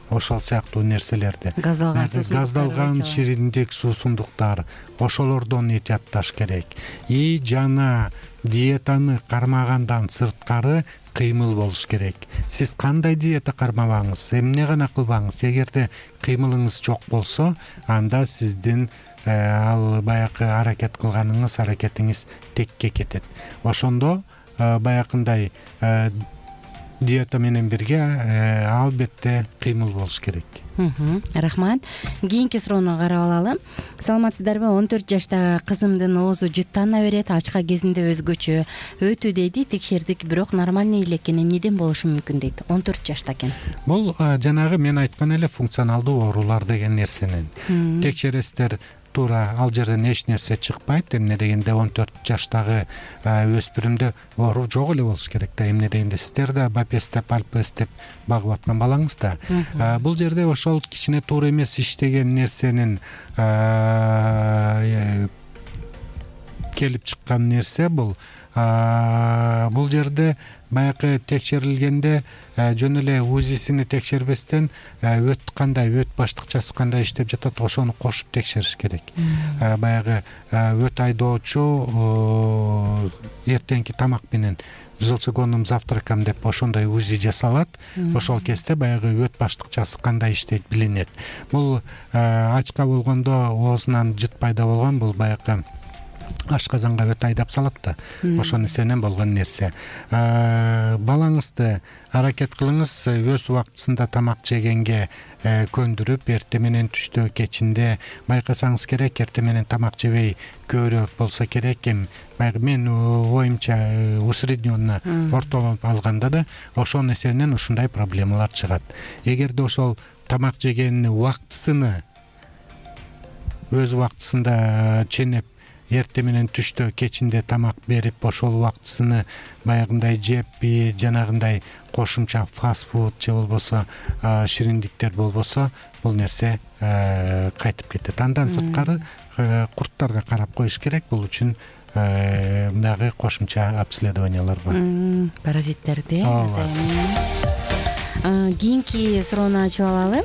ошол сыяктуу нерселерди. Газдалган суусундуктар. Газдалган шириндик суусундуктар. Ошолордон этиятташ керек. И жана диетаны кармагандан сырткары кыймыл болуш керек. Сиз кандай диета кармабаңыз, эмне гана кылбаңыз, эгерде кыймылыңыз жок болсо, анда сиздин ал баягы аракет кылганыңыз, аракетиңиз текке кетет. Ошондо баягындай диета менен бирге албетте кыймыл болуш керек. Рахмат. Кийинки суроону карап алалы. Саламатсыздарбы? он төрт жаштагы кызымдын оозу жыттана берет, ачка кезинде өзгөчө өтүү дейди, текшердик, бирок нормальный эле экен. Эмнеден болушу мүмкүн дейт? он төрт жашта экен. Бул жанагы мен айткан эле функционалдуу оорулар деген нерсенен текшересиздер. Туура ал жерден эч нерсе чыкпайт. Эмне дегенде он төрт жаштагы өспүрүмдө оору жок эле болуш керек да. Эмне дегенде сиздер да бапес деп, альпес деп багып аткан балаңыз да. Бул жерде ошол кичине туура эмес иштеген нерсенин келип чыккан нерсе бул. Бул жерде баягы текшерилгенде жөн эле УЗИсини текшербестен өт кандай, өт баштыкчасы кандай иштеп жатат, ошону кошуп текшериш керек. Баягы өт айдоочу эртеңки тамак менен желчегонным завтракам деп ошондой УЗИ жасалат. Ошол кезде баягы өт баштыкчасы кандай иштейт билинет. Бул ачка болгондо оозунан жыт пайда болгон, бул баягы ашказанга өт айдап салат да. Ошол нерсенен болгон нерсе. Балаңызды аракет кылыңыз, өз убактысында тамак жегенге көндүрүп, эртең менен, түштө, кечинде байкасаңыз керек. Эртең менен тамак жебей көбүрөөк болсо керек. Эми баягы мен оюмча усредненно ортолоп алганда да ошол нерсенен ушундай проблемалар чыгат. Эгерде ошол тамак жегенин убактысыны өз убактысында ченеп, эртең менен, түштө, кечинде тамак берип, ошол убактысыны баягындай жеп, жанагындай кошумча фастфуд же болбосо шириндиктер болбосо, бул нерсе кайтып кетет. Андан сырткары курттарга карап коюш керек. Бул үчүн дагы кошумча обследованиялар бар. Паразиттерди. Кийинки суроону ачып алалы.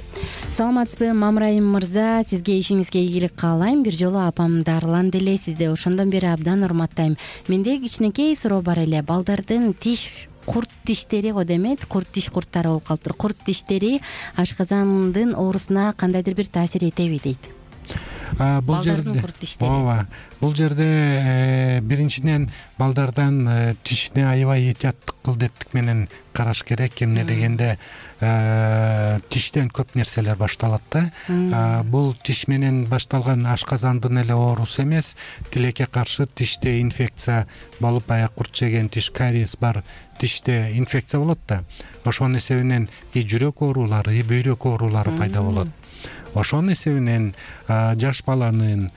Саламатсызбы, Мамрайым мырза, сизге ишиңизге ийгилик каалайм. Бир жолу апам дарыланды эле, сизди ошондон бери абдан урматтайм. Менде кичинекей суроо бар эле. Балдардын тиш курт тиштери го демейт, курт тиш курттары болуп калыптыр. Курт тиштери ашказандын оорусуна кандайдыр бир таасир этеби дейт. Бул жерде ооба, бул жерде биринчиден балдардан тишине аябай этияттык кылдеттик менен караш керек. Эмне дегенде тиштен көп нерселер башталат да. Бул тиш менен башталган ашказандын эле оорусу эмес, тилекке каршы тиште инфекция болуп, баягы курт жеген тиш, кариес бар тиште инфекция болот да. Ошонун эсебинен и жүрөк оорулары, и бөйрөк оорулары пайда болот. Ошонун эсебинен жаш баланын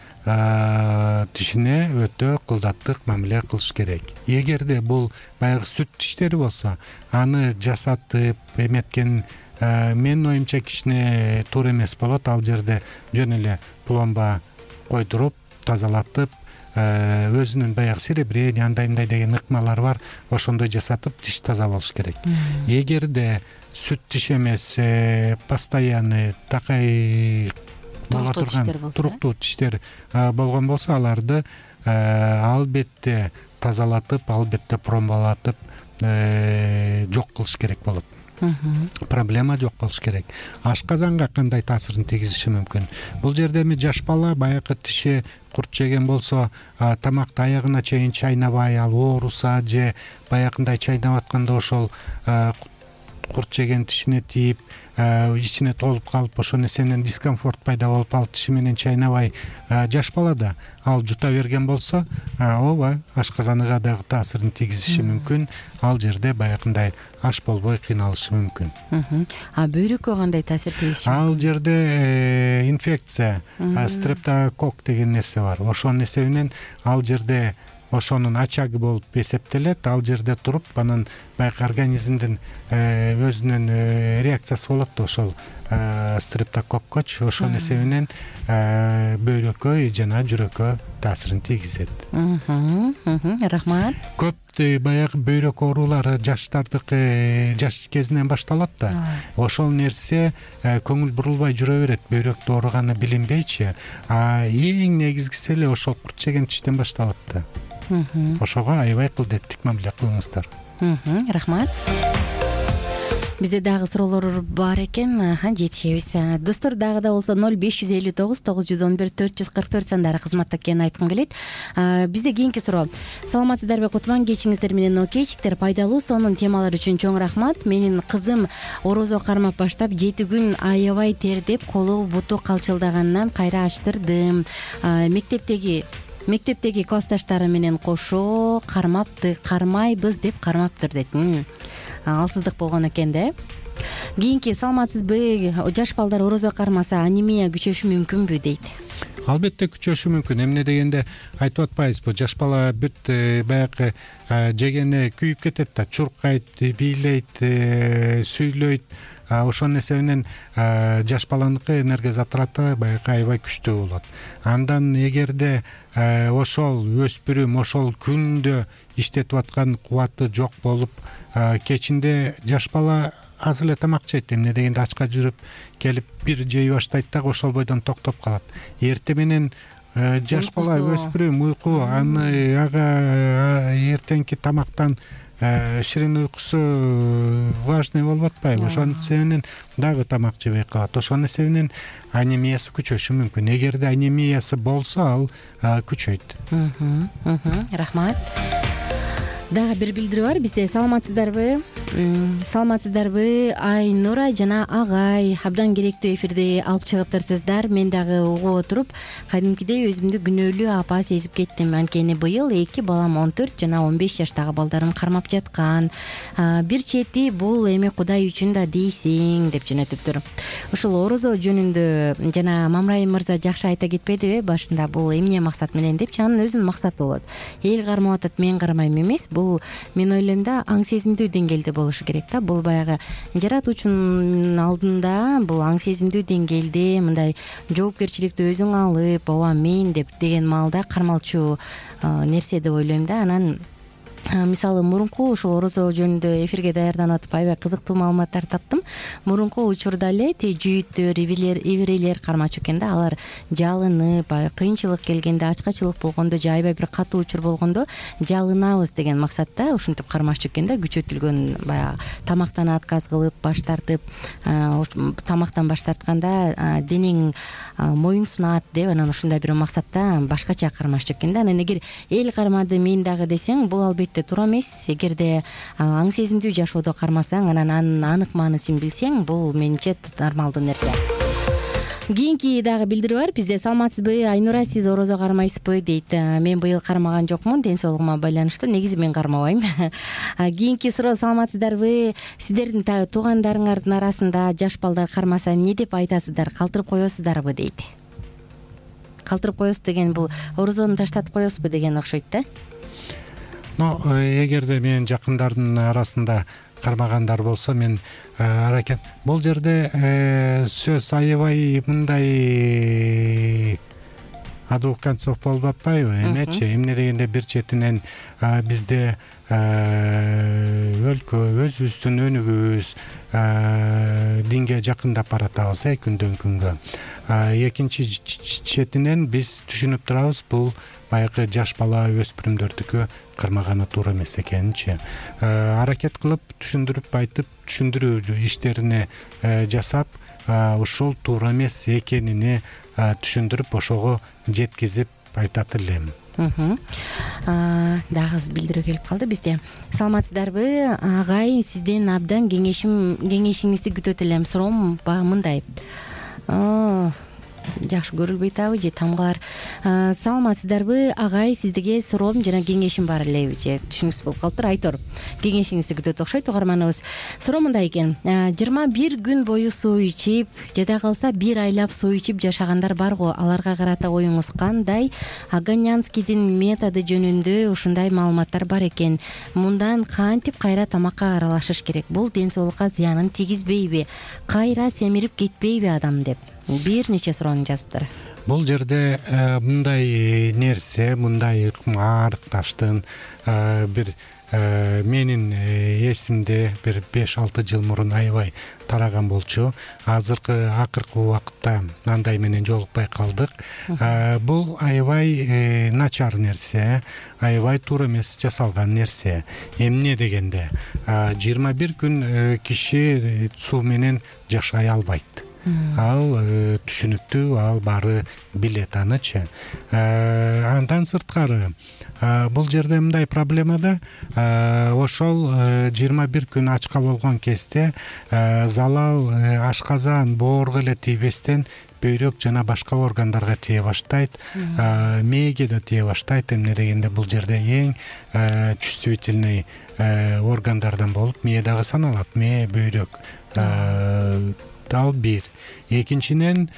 тишине өтө кылдаттык мамиле кылыш керек. Эгерде бул баягы сүт тиштери болсо, аны жасатып эметкен менин оюмча кичине туура эмес болот. Ал жерде жөн эле пломба койдуруп, тазалатып, өзүнүн баягы серебрение андай мындай деген ыкмалары бар, ошондой жасатып тиш таза болуш керек. Эгерде сүт тиш эмес, постоянный такай боло турган туруктуу тиштер болгон болсо, аларды албетте тазалатып, албетте промбалатып жок кылыш керек болот. Проблема жок болуш керек. Ашказанга кандай таасирин тийгизиши мүмкүн? Бул жерде эми жаш бала баягы тиши курт жеген болсо, тамакты аягына чейин чайнабай, ал ооруса же баягындай чайнап атканда ошол курт жеген тишине тийип, ичине толуп калып, ошол нерсенен дискомфорт пайда болуп, ал тиши менен чайнабай жаш балада ал жута берген болсо, ооба ашказаныга дагы таасирин тийгизиши мүмкүн. Ал жерде баягындай аш болбой кыйналышы мүмкүн. А бөйрөккө кандай таасир тийгизиши мүмкүн? Ал жерде инфекция, стрептококк деген нерсе бар. Ошонун эсебинен ал жерде ошонун очагы болуп эсептелет. Ал жерде туруп, анан баягы организмдин өзүнүн реакциясы болот да ошол стрептококкочу. Ошонун эсебинен бөйрөккө жана жүрөккө таасирин тийгизет. Рахмат. Көп баягы бөйрөк оорулары жаштардыкы жаш кезинен башталат да. Ошол нерсе көңүл бурулбай жүрө берет, бөйрөктө ооруганы билинбейчи. А эң негизгиси эле ошол курт жеген тиштен башталат да. Ошого аябай кылдеттик мамиле кылыңыздар. Рахмат. Бизде дагы суроолор бар экен, жетишебиз. Достор, дагы да болсо ноль беш жүз элүү тогуз тогуз жүз он бир төрт жүз кырк төрт сандары кызматта экенин айткым келет. Бизде кийинки суроо. Саламатсыздарбы Кутман, кечиңиздер менен окейчиктер. Пайдалуу сонун темалар үчүн чоң рахмат. Менин кызым орозо кармап баштап жети күн аябай тердеп, колу буту калчылдаганынан кайра ачтырдым. Мектептеги Мектептеги классташтары менен кошо кармапты, кармайбыз деп кармаптыр дейт. Алсыздык болгон экен да. Кийинки, саламатсызбы, жаш балдар орозо кармаса анемия күчөшү мүмкүнбү дейт. Албетте күчөшү мүмкүн. Эмне дегенде айтып атпайбызбы, жаш бала бүт баягы жегени күйүп кетет да, чуркайт, бийлейт, сүйлөйт. Ошонун эсебинен жаш баланыкы энергия затраты баягы аябай күчтүү болот. Андан эгерде ошол өспүрүм ошол күндө иштетип аткан кубаты жок болуп, кечинде жаш бала аз эле тамак жейт. Эмне дегенде ачка жүрүп келип бир жей баштайт дагы ошол бойдон токтоп калат. Эртең менен жаш бала өспүрүм уйку, аны ага эртеңки тамактан ширин уйкусу важный болуп атпайбы? Ошонун эсебинен дагы тамак жебей калат. Ошонун эсебинен анемиясы күчөшү мүмкүн. Эгерде анемиясы болсо, ал күчөйт. Рахмат. Дагы бир билдирүү бар бизде. Саламатсыздарбы? Саламатсыздарбы? Айнура жана Агай абдан керектүү эфирди алып чыгыптырсыздар. Мен дагы угуп отуруп, кадимкидей өзүмдү күнөөлүү апа сезип кеттим. Анткени быйыл эки балам он төрт жана он беш жаштагы балдарым кармап жаткан. Бир чети бул эми Кудай үчүн да дейсиң деп жөнөтүптүр. Ушул орозо жөнүндө жана Мамраим мырза жакшы айта кетпедиби башында, бул эмне максат менен депчи? Анын өзүнүн максаты болот. Эл кармап атат, мен кармайм эмес. Бул мен ойлойм да аң сезимдүү деңгээлде болушу керек да. Бул баягы жаратуучунун алдында бул аң сезимдүү деңгээлде мындай жоопкерчиликти өзүң алып, ооба мен деп деген маалда кармалчу нерсе деп ойлойм да. Анан мисалы мурунку ушул орозо жөнүндө эфирге даярданып атып аябай кызыктуу маалыматтар таптым. Мурунку учурда эле жүйүттөр, ибирелер кармачу экен да. Алар жалынып, кыйынчылык келгенде, ачкачылык болгондо же аябай бир катуу учур болгондо жалынабыз деген максатта ушинтип кармашчу экен да. Күчөтүлгөн баягы тамактан отказ кылып, баш тартып, тамактан баш тартканда денең моюң сунат деп, анан ушундай бир максатта башкача кармашчу экен да. Анан эгер эл кармады, мен дагы десең, бул албетте туура эмес. Эгерде аң сезимдүү жашоодо кармасаң, анан анын анык маанысын билсең, бул менимче нормалдуу нерсе. Кийинки дагы билдирүү бар бизде. Саламатсызбы, Айнура, сиз орозо кармайсызбы дейт. Мен быйыл кармаган жокмун, ден соолугума байланыштуу. Негизи мен кармабайм. Кийинки суроо. Саламатсыздарбы, сиздердин туугандарыңардын арасында жаш балдар кармаса эмне деп айтасыздар? Калтырып коесуздарбы дейт. Калтырып коесуз деген бул орозону таштатып коесузбу деген окшойт да. Но эгерде менин жакындардын арасында кармагандар болсо, мен аракет бул жерде сөз аябай мындай адуканцов болуп атпайбы эмечи эмне дегенде бир четинен бизде өлкө өзүбүздүн өнүгүүбүз динге жакындап баратабыз э күндөн күнгө. Экинчи четинен биз түшүнүп турабыз, бул баягы жаш бала өспүрүмдөрдүкү кырмаганы туура эмес экенинчи. Аракет кылып түшүндүрүп айтып, түшүндүрүү иштерине жасап, ушул туура эмес экенини түшүндүрүп, ошого жеткизип айтат элем. Дагы билдирүү келип калды бизде. Саламатсыздарбы агай, сизден абдан кеңешим кеңешиңизди күтөт элем. Суроом мындай. Жакшы көрүлбөй атабы же тамгалар. Саламатсыздарбы агай, сиздерге суроом жана кеңешим бар эле же түшүнүксүз болуп калыптыр. Айтор, кеңешиңизди күтөт окшойт угарманыбыз. Суроо мындай экен. жыйырма бир күн бою суу ичип, жада калса бир айлап суу ичип жашагандар бар го. Аларга карата оюңуз кандай? Аганянскийдин методу жөнүндө ушундай маалыматтар бар экен. Мындан кантип кайра тамакка аралашыш керек? Бул ден соолукка зыянын тийгизбейби? Кайра семирип кетпейби адам деп бир нече суроону жазыптыр. Бул жерде мындай нерсе, мындай арыкташтын бир менин эсимде бир беш алты жыл мурун аябай тараган болчу. Азыркы акыркы убакытта андай менен жолукпай калдык. Бул аябай начар нерсе, аябай туура эмес жасалган нерсе. Эмне дегенде жыйырма бир күн киши суу менен жашай албайт. Ал түшүнүктүү, ал баары билет анычы. Андан сырткары бул жерде мындай проблема да, ошол жыйырма бир күн ачка болгон кезде залал ашказан, боорго эле тийбестен бөйрөк жана башка органдарга тие баштайт, мээге да тие баштайт. Эмне дегенде бул жерде эң чувствительный органдардан болуп мээ дагы саналат. Мээ, бөйрөк. Ал бир. Экинчинен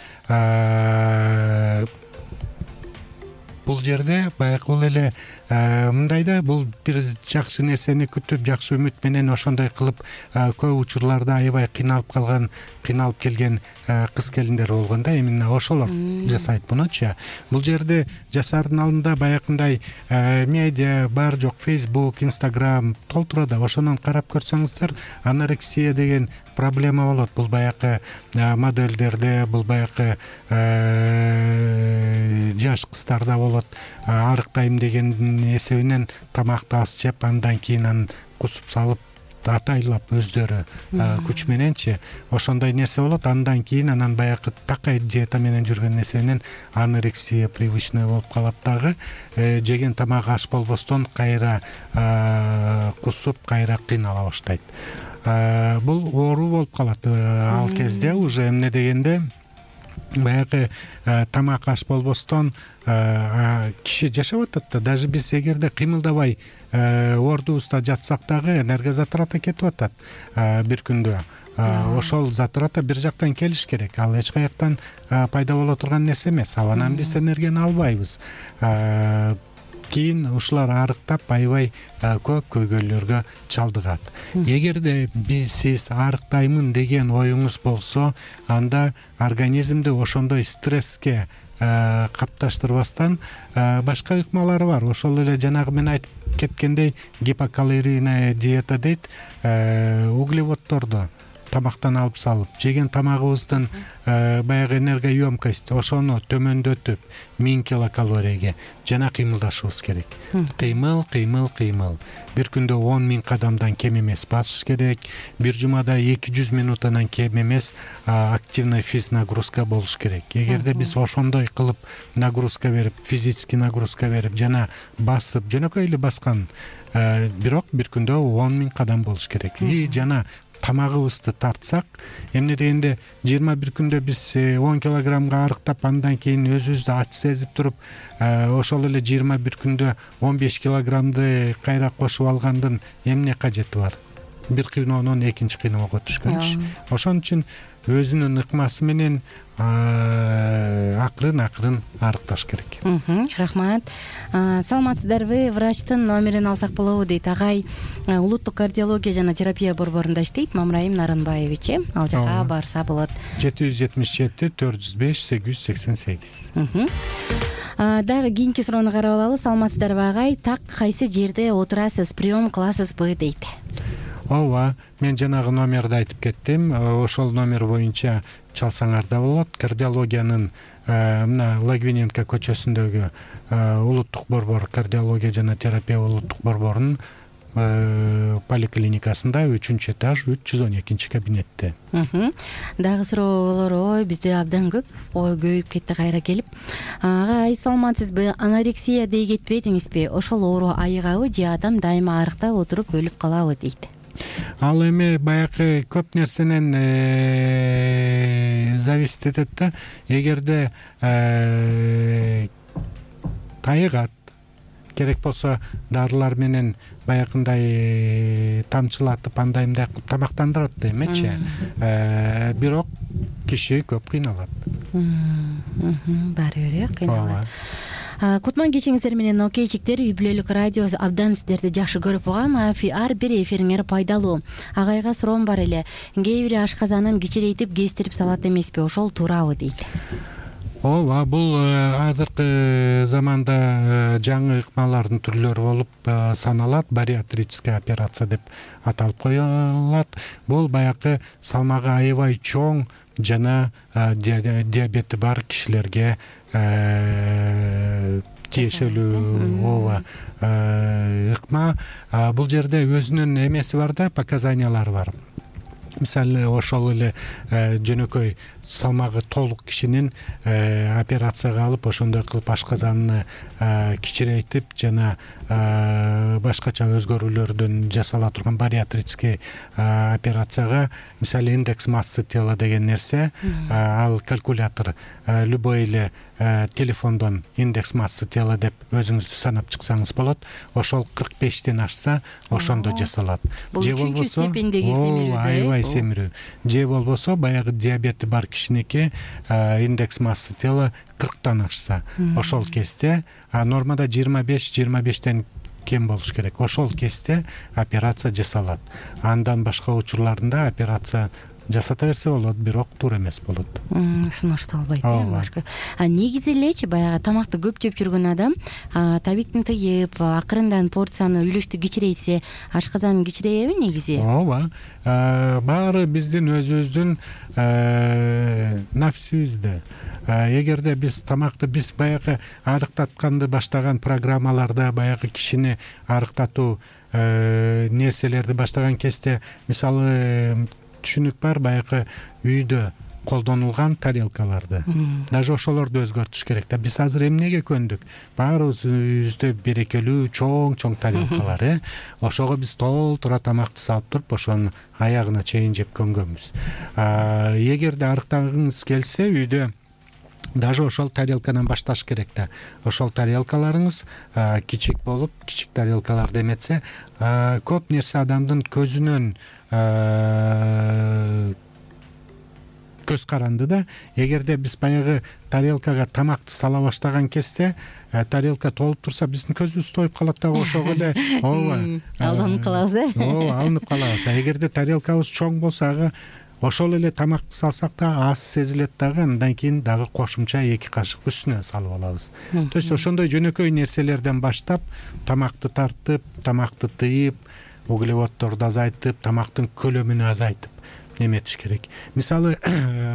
бул жерде баягы эле мындай да, бул бир жакшы нерсени күтүп, жакшы үмүт менен ошондой кылып көп учурларда аябай кыйналып калган, кыйналып келген кыз келиндер болгон да, именно ошолор жасайт мунучу. Бул жерде жасаардын алдында баягындай медиа бар жок, Facebook, Instagram толтура да, ошонун карап көрсөңүздөр, анорексия деген проблема болот. Бул баягы модельдерде, бул баягы жаш кыздарда болот. Арыктайм деген эсебинен тамакты аз жеп, андан кийин анан кусуп салып атайлап өздөрү күч мененчи ошондой нерсе болот. Андан кийин анан баягы такай диета менен жүргөн эсебинен анорексия привычный болуп калат дагы. Жеген тамак аш болбостон кайра кусуп, кайра кыйнала баштайт. Бул оору болуп калат ал кезде. Уже эмне дегенде баягы тамак аш болбостон киши жашап атат да. Даже биз эгерде кыймылдабай ордубузда жатсак дагы энергозатрата кетип атат бир күндө. Ошол затрата бир жактан келиш керек. Ал эч каяктан пайда боло турган нерсе эмес. Абанан биз энергияны албайбыз. Кийин ушулар арыктап аябай көп көйгөйлөргө чалдыгат. Эгерде биз сиз арыктаймын деген оюңуз болсо, анда организмди ошондой стресске капташтырбастан башка ыкмалары бар. Ошол эле жанагы мен айтып кеткендей гипокалорийная диета дейт. Углеводдорду тамактан алып салып, жеген тамагыбыздын баягы энергоемкость ошону төмөндөтүп миң килокалорияга жана кыймылдашыбыз керек. Кыймыл, кыймыл, кыймыл. Бир күндө он миң кадамдан кем эмес басыш керек. Бир жумада эки жүз минутынан кем эмес активный физ нагрузка болуш керек. Эгерде биз ошондой кылып нагрузка берип, физический нагрузка берип жана басып, жөнөкөй эле баскан, бирок бир күндө он миң кадам болуш керек. И жана тамагыбызды тартсак, эмне дегенде жыйырма бир күндө биз он килограммга арыктап, андан кийин өзүбүздү ач сезип туруп, ошол эле жыйырма бир күндө он беш килограммды кайра кошуп алгандын эмне кажети бар? Бир кыйноонон экинчи кыйноого түшкөнчү. Ошон үчүн өзүнүн ыкмасы менен акырын-акырын арыкташ керек. Рахмат. Саламатсыздарбы? Врачтын номерин алсак болобу дейт. Агай улуттук кардиология жана терапия борборунда иштейт, Мамраим Нарынбаевич. Ал жака барса болот. жети жүз жетимиш жети төрт жүз беш сегиз жүз сексен сегиз. Дагы кийинки суроону карап алалы. Саламатсыздарбы агай? Так кайсы жерде отурасыз, прием кыласызбы дейт. ооба, мен жанагы номерди айтып кеттим. Ошол номер боюнча чалсаңар да болот. Кардиологиянын мына Лагвиненко көчөсүндөгү улуттук борбор, кардиология жана терапия улуттук борборунун поликлиникасында үчүнчү этаж үч жүз он экинчи кабинетте. Дагы суроолор ой бизде абдан көп, ой көбөйүп кетти кайра келип. Агай саламатсызбы? Анорексия дей кетпедиңизби? Ошол оору айыгабы же адам дайыма арыктап отуруп өлүп калабы дейт. Ал эми баягы көп нерсенен зависит этет да. Эгерде тайыгат, керек болсо дарылар менен баягындай тамчылатып андай мындай кылып тамактандырат да эмечи. Бирок киши көп кыйналат. Баары бир э кыйналат. Кутман кечиңиздер менен окейчиктер, үй бүлөлүк радио абдан сиздерди жакшы көрүп угам. Ар бир эфириңер пайдалуу. Агайга суроом бар эле. Кээ бири ашказанын кичирейтип кездирип салат эмеспи? Ошол туурабы дейт. Ооба, бул азыркы заманда жаңы ыкмалардын түрлөрү болуп саналат. Бариатрическая операция деп аталып коюлат. Бул баягы салмагы аябай чоң жана диабети бар кишилерге тиешелүү ооба ыкма. Бул жерде өзүнүн эмеси бар да, показаниялары бар. Мисалы ошол эле жөнөкөй салмагы толук кишинин операцияга алып, ошондой кылып ашказанны кичирейтип жана башкача өзгөрүүлөрдөн жасала турган бариатрический операцияга, мисалы индекс массы тела деген нерсе, ал калькулятор любой эле телефондон индекс массы тела деп өзүңүздү санап чыксаңыз болот. Ошол кырк бештен ашса, ошондо жасалат. Бул үчүнчү степендеги семирүү да. Аябай семирүү. Же болбосо баягы диабети бар кишиники индекс массы тела кырктан ашса, ошол кезде, а нормада жыйырма беш жыйырма бештен кем болуш керек. Ошол кезде операция жасалат. Андан башка учурларында операция жасата берсе болот, бирок туура эмес болот. Сунушталбайт э башка. А негизи элечи баягы тамакты көп жеп жүргөн адам табиктин тыйып, акырындан порцияны үлүштү кичирейтсе, ашказан кичирейби негизи? Ооба. Баары биздин өзүбүздүн нафсибизде. Эгерде биз тамакты биз баягы арыктатканды баштаган программаларда баягы кишини арыктатуу нерселерди баштаган кезде, мисалы түшүнүк бар, баягы үйдө колдонулган тарелкаларды. Даже ошолорду өзгөртүш керек да. Биз азыр эмнеге көндүк? Баарыбыз үйүбүздө берекелүү чоң-чоң тарелкалар, э. Ошого биз толтура тамакты салып туруп, ошонун аягына чейин жеп көнгөнбүз. Эгерде арыктагыңыз келсе, үйдө даже ошол тарелкадан башташ керек да. Ошол тарелкаларыңыз кичик болуп, кичик тарелкаларды эметсе, көп нерсе адамдын көзүнөн көз каранды да. Эгерде биз баягы тарелкага тамакты сала баштаган кезде, тарелка толуп турса, биздин көзүбүз тоюп калат да, ошого эле ооба. Алданып калабыз, э? Ооба, алынып калабыз. Эгерде тарелкабыз чоң болсо, ага ошол эле тамакты салсак да аз сезилет дагы, андан кийин дагы кошумча эки кашык үстүнө салып алабыз. То есть ошондой жөнөкөй нерселерден баштап, тамакты тартып, тамакты тыйып, углеводдорду азайтып, тамактын көлөмүнү азайтып неметиш керек. Мисалы,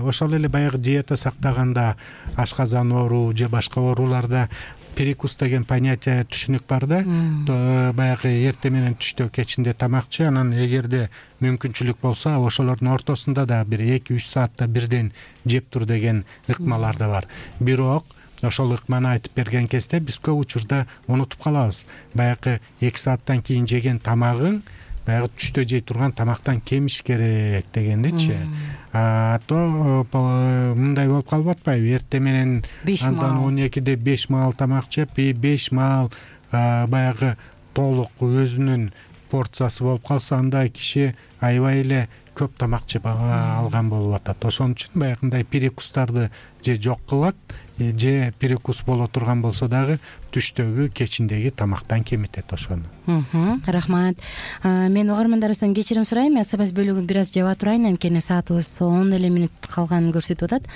ошол эле баягы диета сактаганда, ашказан оору же башка ооруларда перекус деген понятие түшүнүк бар да. Баягы эртең менен түштө кечинде тамакчы, анан эгерде мүмкүнчүлүк болсо, ошолордун ортосунда да бир эки үч саатта бирден жеп тур деген ыкмалар да бар. Бирок ошол ыкманы айтып берген кезде биз көп учурда унутуп калабыз. Баягы эки сааттан кийин жеген тамагың баягы түштө жей турган тамактан кемиш керек дегендичи. А то мындай болуп калып атпайбы? Эртең менен андан он экиде беш маал тамак жеп, и беш маал баягы толук өзүнүн порциясы болуп калса, анда киши аябай эле көп тамак жеп алган болуп атат. Ошон үчүн баягындай перекустарды же жок кылат, же перекус боло турган болсо дагы түштөгү, кечиндеги тамактан кемитет ошону. Рахмат. Мен угармандарыбыздан кечирим сурайм, СБС бөлүгүн бир аз жаба турайын, анткени саатыбыз он эле мүнөт калганын көрсөтүп атат.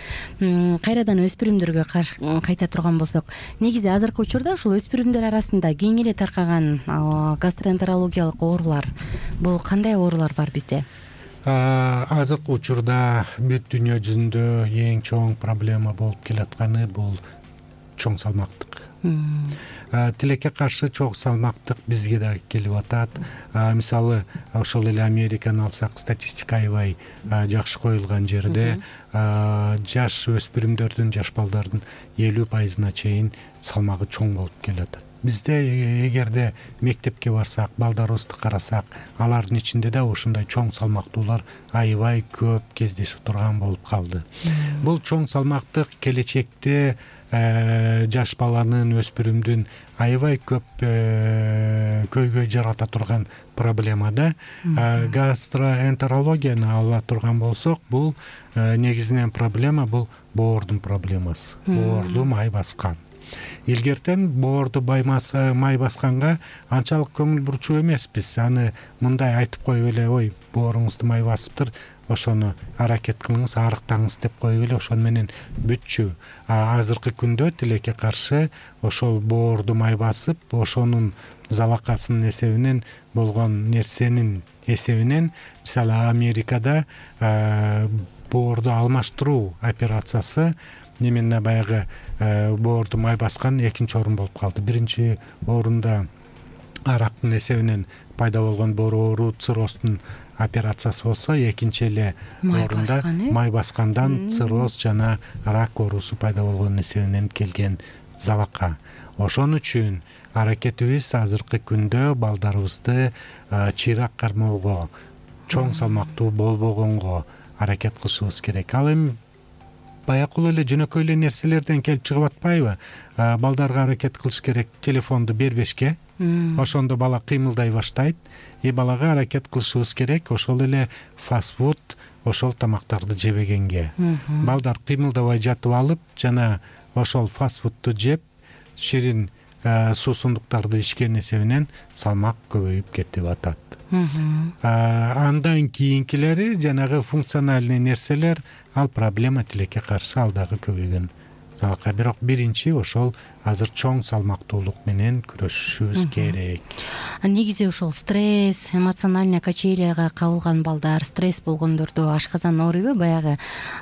Кайрадан өспүрүмдөргө кайта турган болсок, негизи азыркы учурда ушул өспүрүмдөр арасында кең эле таркаган гастроэнтерологиялык оорулар, бул кандай оорулар бар бизде? Азыркы учурда бүт дүйнө жүзүндө эң чоң проблема болуп келатканы бул чоң салмактык. Тилекке каршы чоң салмактык бизге дагы келип атат. Мисалы, ошол эле Американы алсак, статистика аябай жакшы коюлган жерде жаш өспүрүмдөрдүн, жаш балдардын элүү пайызына чейин салмагы чоң болуп келатат. Бизде эгерде мектепке барсак, балдарыбызды карасак, алардын ичинде да ушундай чоң салмактуулар аябай көп кездешип турган болуп калды. Бул чоң салмактык келечекте жаш баланын, өспүрүмдүн аябай көп көйгөй жарата турган проблема да. Гастроэнтерологияны ала турган болсок, бул негизинен проблема бул боордун проблемасы. Боорду май баскан. Илгертен боорду май басканга анчалык көңүл бурчу эмеспиз. Аны мындай айтып коюп эле, ой, бооруңузду май басыптыр, ошону аракет кылыңыз, арыктаңыз деп коюп эле ошону менен бүтчү. Азыркы күндө тилекке каршы ошол боорду май басып, ошонун залакасынын эсебинен болгон нерсенин эсебинен, мисалы Америкада боорду алмаштыруу операциясы немене баягы боорду май баскан экинчи орун болуп калды. Биринчи орунда арактын эсебинен пайда болгон боор оору, цирроздун операциясы болсо, экинчи эле орунда май баскандан цирроз жана рак оорусу пайда болгон эсебинен келген залака. Ошон үчүн аракетибиз азыркы күндө балдарыбызды чыйрак кармоого, чоң салмактуу болбогонго аракет кылышыбыз керек. Ал эми баякыл эле жөнөкөй эле нерселерден келип чыгып атпайбы? Балдарга аракет кылыш керек телефонду бербешке. Ошондо бала кыймылдай баштайт. И балага аракет кылышыбыз керек ошол эле фастфуд, ошол тамактарды жебегенге. Балдар кыймылдабай жатып алып, жана ошол фастфудду жеп, ширин суусундуктарды ичкен эсебинен салмак көбөйүп кетип атат. Андан кийинкилери жанагы функциональный нерселер, ал проблема тилекке каршы ал дагы көбөйгөн. Бирок биринчи ошол азыр чоң салмактуулук менен күрөшүшүбүз керек. Негизи ошол стресс, эмоциональный качеляга кабылган балдар, стресс болгондордо ашказан ооруйбу? Баягы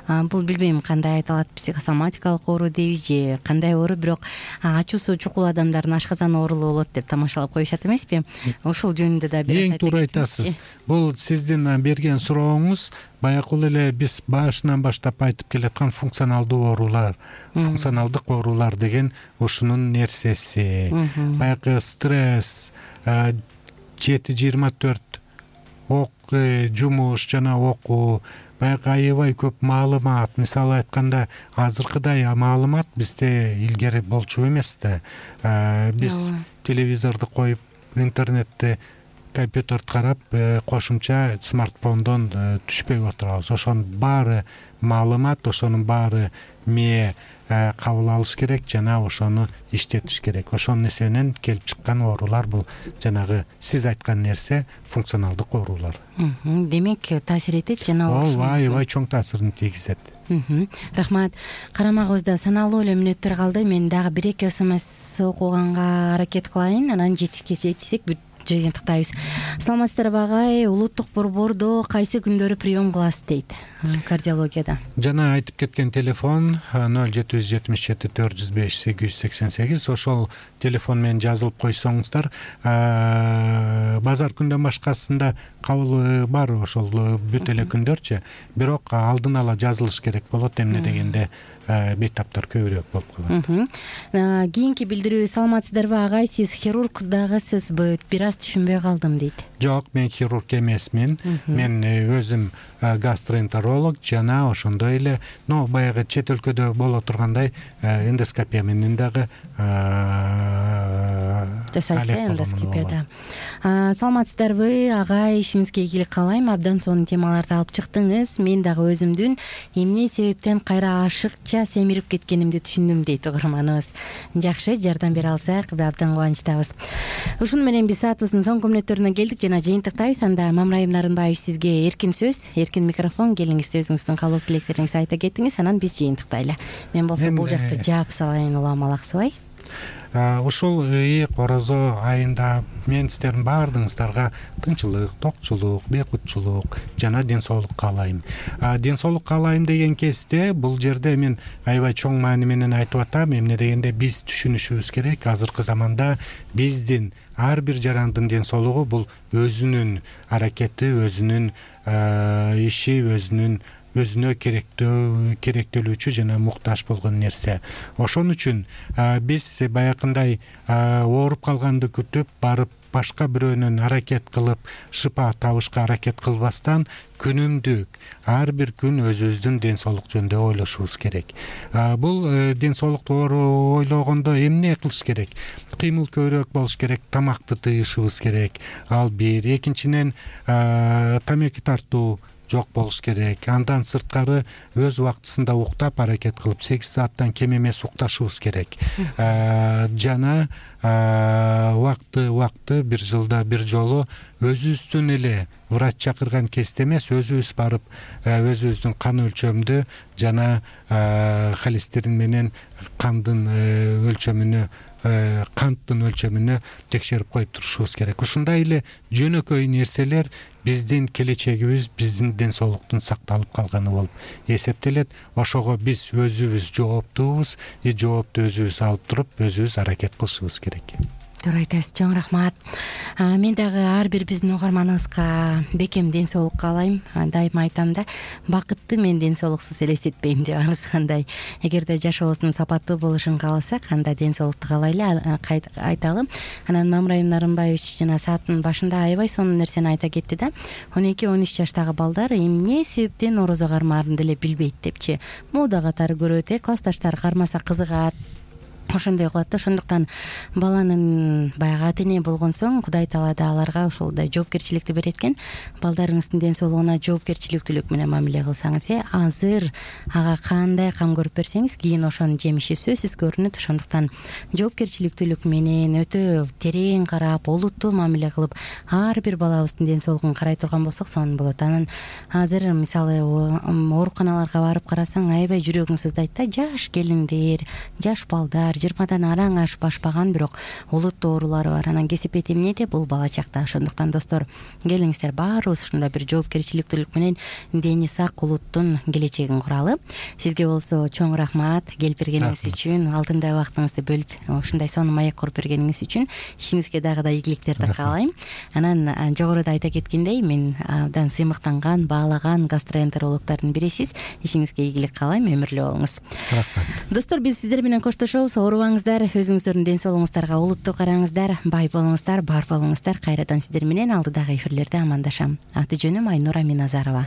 бул билбейм кандай айтылат, психосоматикалык оору дейби же кандай оору, бирок ачуусу чукул адамдардын ашказан оорулуу болот деп тамашалап коюшат эмеспи? Ошол жөнүндө да бир эң туура айтасыз. Бул сиздин берген сурооңуз баягыл эле биз башынан баштап айтып келаткан функционалдуу оорулар, функционалдык оорулар деген ушунун нерсеси. Баягы стресс, жети жыйырма төрт ок жумуш жана окуу, баягы аябай көп маалымат. Мисалы айтканда, азыркыдай маалымат бизде илгери болчу эмес да. Биз телевизорду коюп, интернетти, компьютерди карап, кошумча смартфондон түшпөй отурабыз. Ошонун баары маалымат, ошонун баары мээ кабыл алыш керек жана ошону иштетиш керек. Ошонун эсебинен келип чыккан оорулар бул жанагы сиз айткан нерсе функционалдык оорулар. Демек таасир этет жана ооба аябай чоң таасирин тийгизет. Рахмат. Карамагыбызда саналуу эле мүнөттөр калды. Мен дагы бир эки смс окуганга аракет кылайын, анан жетишсек бүт жыйынтыктайбыз. Саламатсыздарбы агай, улуттук борбордо кайсы күндөрү прием кыласыз дейт кардиологияда? Жана айтып кеткен телефон ноль жети жүз жетимиш жети төрт жүз беш сегиз жүз сексен сегиз. Ошол телефон менен жазылып койсоңуздар, базар күндөн башкасында кабыл бар, ошол бүт эле күндөрчү. Бирок алдын ала жазылыш керек болот, эмне дегенде бейтаптар көбүрөөк болуп калат. Кийинки билдирүү: саламатсыздарбы агай, сиз хирург дагысызбы? Бир аз түшүнбөй калдым дейт. Жок, мен хирург эмесмин. Мен өзүм гастроэнтеролог жана ошондой эле, но баягы чет өлкөдө боло тургандай эндоскопия менен дагы жасайсыз, эндоскопияда. саламатсыздарбы агай, ишиңизге ийгилик каалайм. Абдан сонун темаларды алып чыктыңыз. Мен дагы өзүмдүн эмне себептен кайра ашыкча семирип кеткенимди түшүндүм дейт угарманыбыз. Жакшы, жардам бере алсак абдан кубанычтабыз. Ушуну менен биз саатыбыздын соңку мүнөттөрүнө келдик жана жыйынтыктайбыз. Анда Мамраим Нарынбаев сизге эркин сөз, эркин микрофон, келиңиз өзүңүздүн каалоо тилектериңизди айта кетиңиз, анан биз жыйынтыктайлы. Мен болсо бул жакты жаап салайын, улам алаксыбай. Ушул ий корозо айында мен сиздердин баардыгыңыздарга тынччылык, токчулук, бейкутчулук жана ден соолук каалайм. Ден соолук каалайм деген кезде бул жерде мен аябай чоң маани менен айтып атам. Эмне дегенде биз түшүнүшүбүз керек, азыркы заманда биздин ар бир жарандын ден соолугу бул өзүнүн аракети, өзүнүн иши, өзүнүн өзүнө керектөө керектөлүүчү жана муктаж болгон нерсе. Ошон үчүн биз баягындай ооруп калганды күтүп барып башка бирөөнөн аракет кылып шыпа табышка аракет кылбастан күнүмдүк ар бир күн өзүбүздүн ден соолук жөнүндө ойлошубуз керек. Бул ден соолукту ойлогондо эмне кылыш керек? Кыймыл көбүрөөк болуш керек, тамакты тыйышыбыз керек. Ал бир. Экинчиден тамеки тартуу жок болуш керек. Андан сырткары өз убактысында уктап аракет кылып сегиз сааттан кем эмес укташыбыз керек. Жана убакты убакты бир жылда бир жолу өзүбүздүн эле врач чакырган кезде эмес, өзүбүз барып өзүбүздүн кан өлчөмдү жана холестерин менен кандын өлчөмүнү канттын өлчөмүнү текшерип коюп турушубуз керек. Ушундай эле жөнөкөй нерселер биздин келечегибиз, биздин ден соолуктун сакталып калганы болуп эсептелет. Ошого биз өзүбүз жооптуубуз, и жоопту өзүбүз алып туруп, өзүбүз аракет кылышыбыз керек. Туура айтасыз, чоң рахмат. Мен дагы ар бир биздин угарманыбызга бекем ден соолук каалайм. Дайыма айтам да, бакытты мен ден соолуксуз элестетпейм деп арызгандай. Эгерде жашообуздун сапаттуу болушун кааласак, анда ден соолукту каалайлы айталы. Анан Мамраим Нарынбаевич жана сааттын башында аябай сонун нерсени айта кетти да. он эки он үч жаштагы балдар эмне себептен орозо кармаарын деле билбейт депчи. Мода катары көрөт, э, классташтары кармаса кызыгат. Ошондой кылат да. Ошондуктан баланын баягы ата эне болгон соң Кудай Таала да аларга ошолдой жоопкерчиликти берет экен. Балдарыңыздын ден соолугуна жоопкерчиликтүүлүк менен мамиле кылсаңыз, э азыр ага кандай кам көрүп берсеңиз, кийин ошонун жемиши сөзсүз көрүнөт. Ошондуктан жоопкерчиликтүүлүк менен өтө терең карап, олуттуу мамиле кылып, ар бир балабыздын ден соолугун карай турган болсок сонун болот. Анан азыр мисалы ооруканаларга барып карасаң, аябай жүрөгүң сыздайт да. Жаш келиндер, жаш балдар, жыйырмадан араң ашып ашпаган, бирок олуттуу оорулары бар. Анан кесипет эмнеде? Бул бала чакта. Ошондуктан достор, келиңиздер баарыбыз ушундай бир жоопкерчиликтүүлүк менен дени сак улуттун келечегин куралы. Сизге болсо чоң рахмат келип бергениңиз үчүн, алтындай убактыңызды бөлүп ушундай сонун маек куруп бергениңиз үчүн. Ишиңизге дагы да ийгиликтерди каалайм. Анан жогоруда айта кеткендей, мен абдан сыймыктанган, баалаган гастроэнтерологдордун бирисиз. Ишиңизге ийгилик каалайм, өмүрлүү болуңуз. Рахмат. Достор, биз сиздер менен коштошобуз. Оорубаңыздар, өзүңүздөрдүн ден соолугуңуздарга олуттуу караңыздар, бай болуңуздар, бар болуңуздар. Кайрадан сиздер менен алдыдагы эфирлерде амандашам. Аты жөнүм Айнура Миназарова.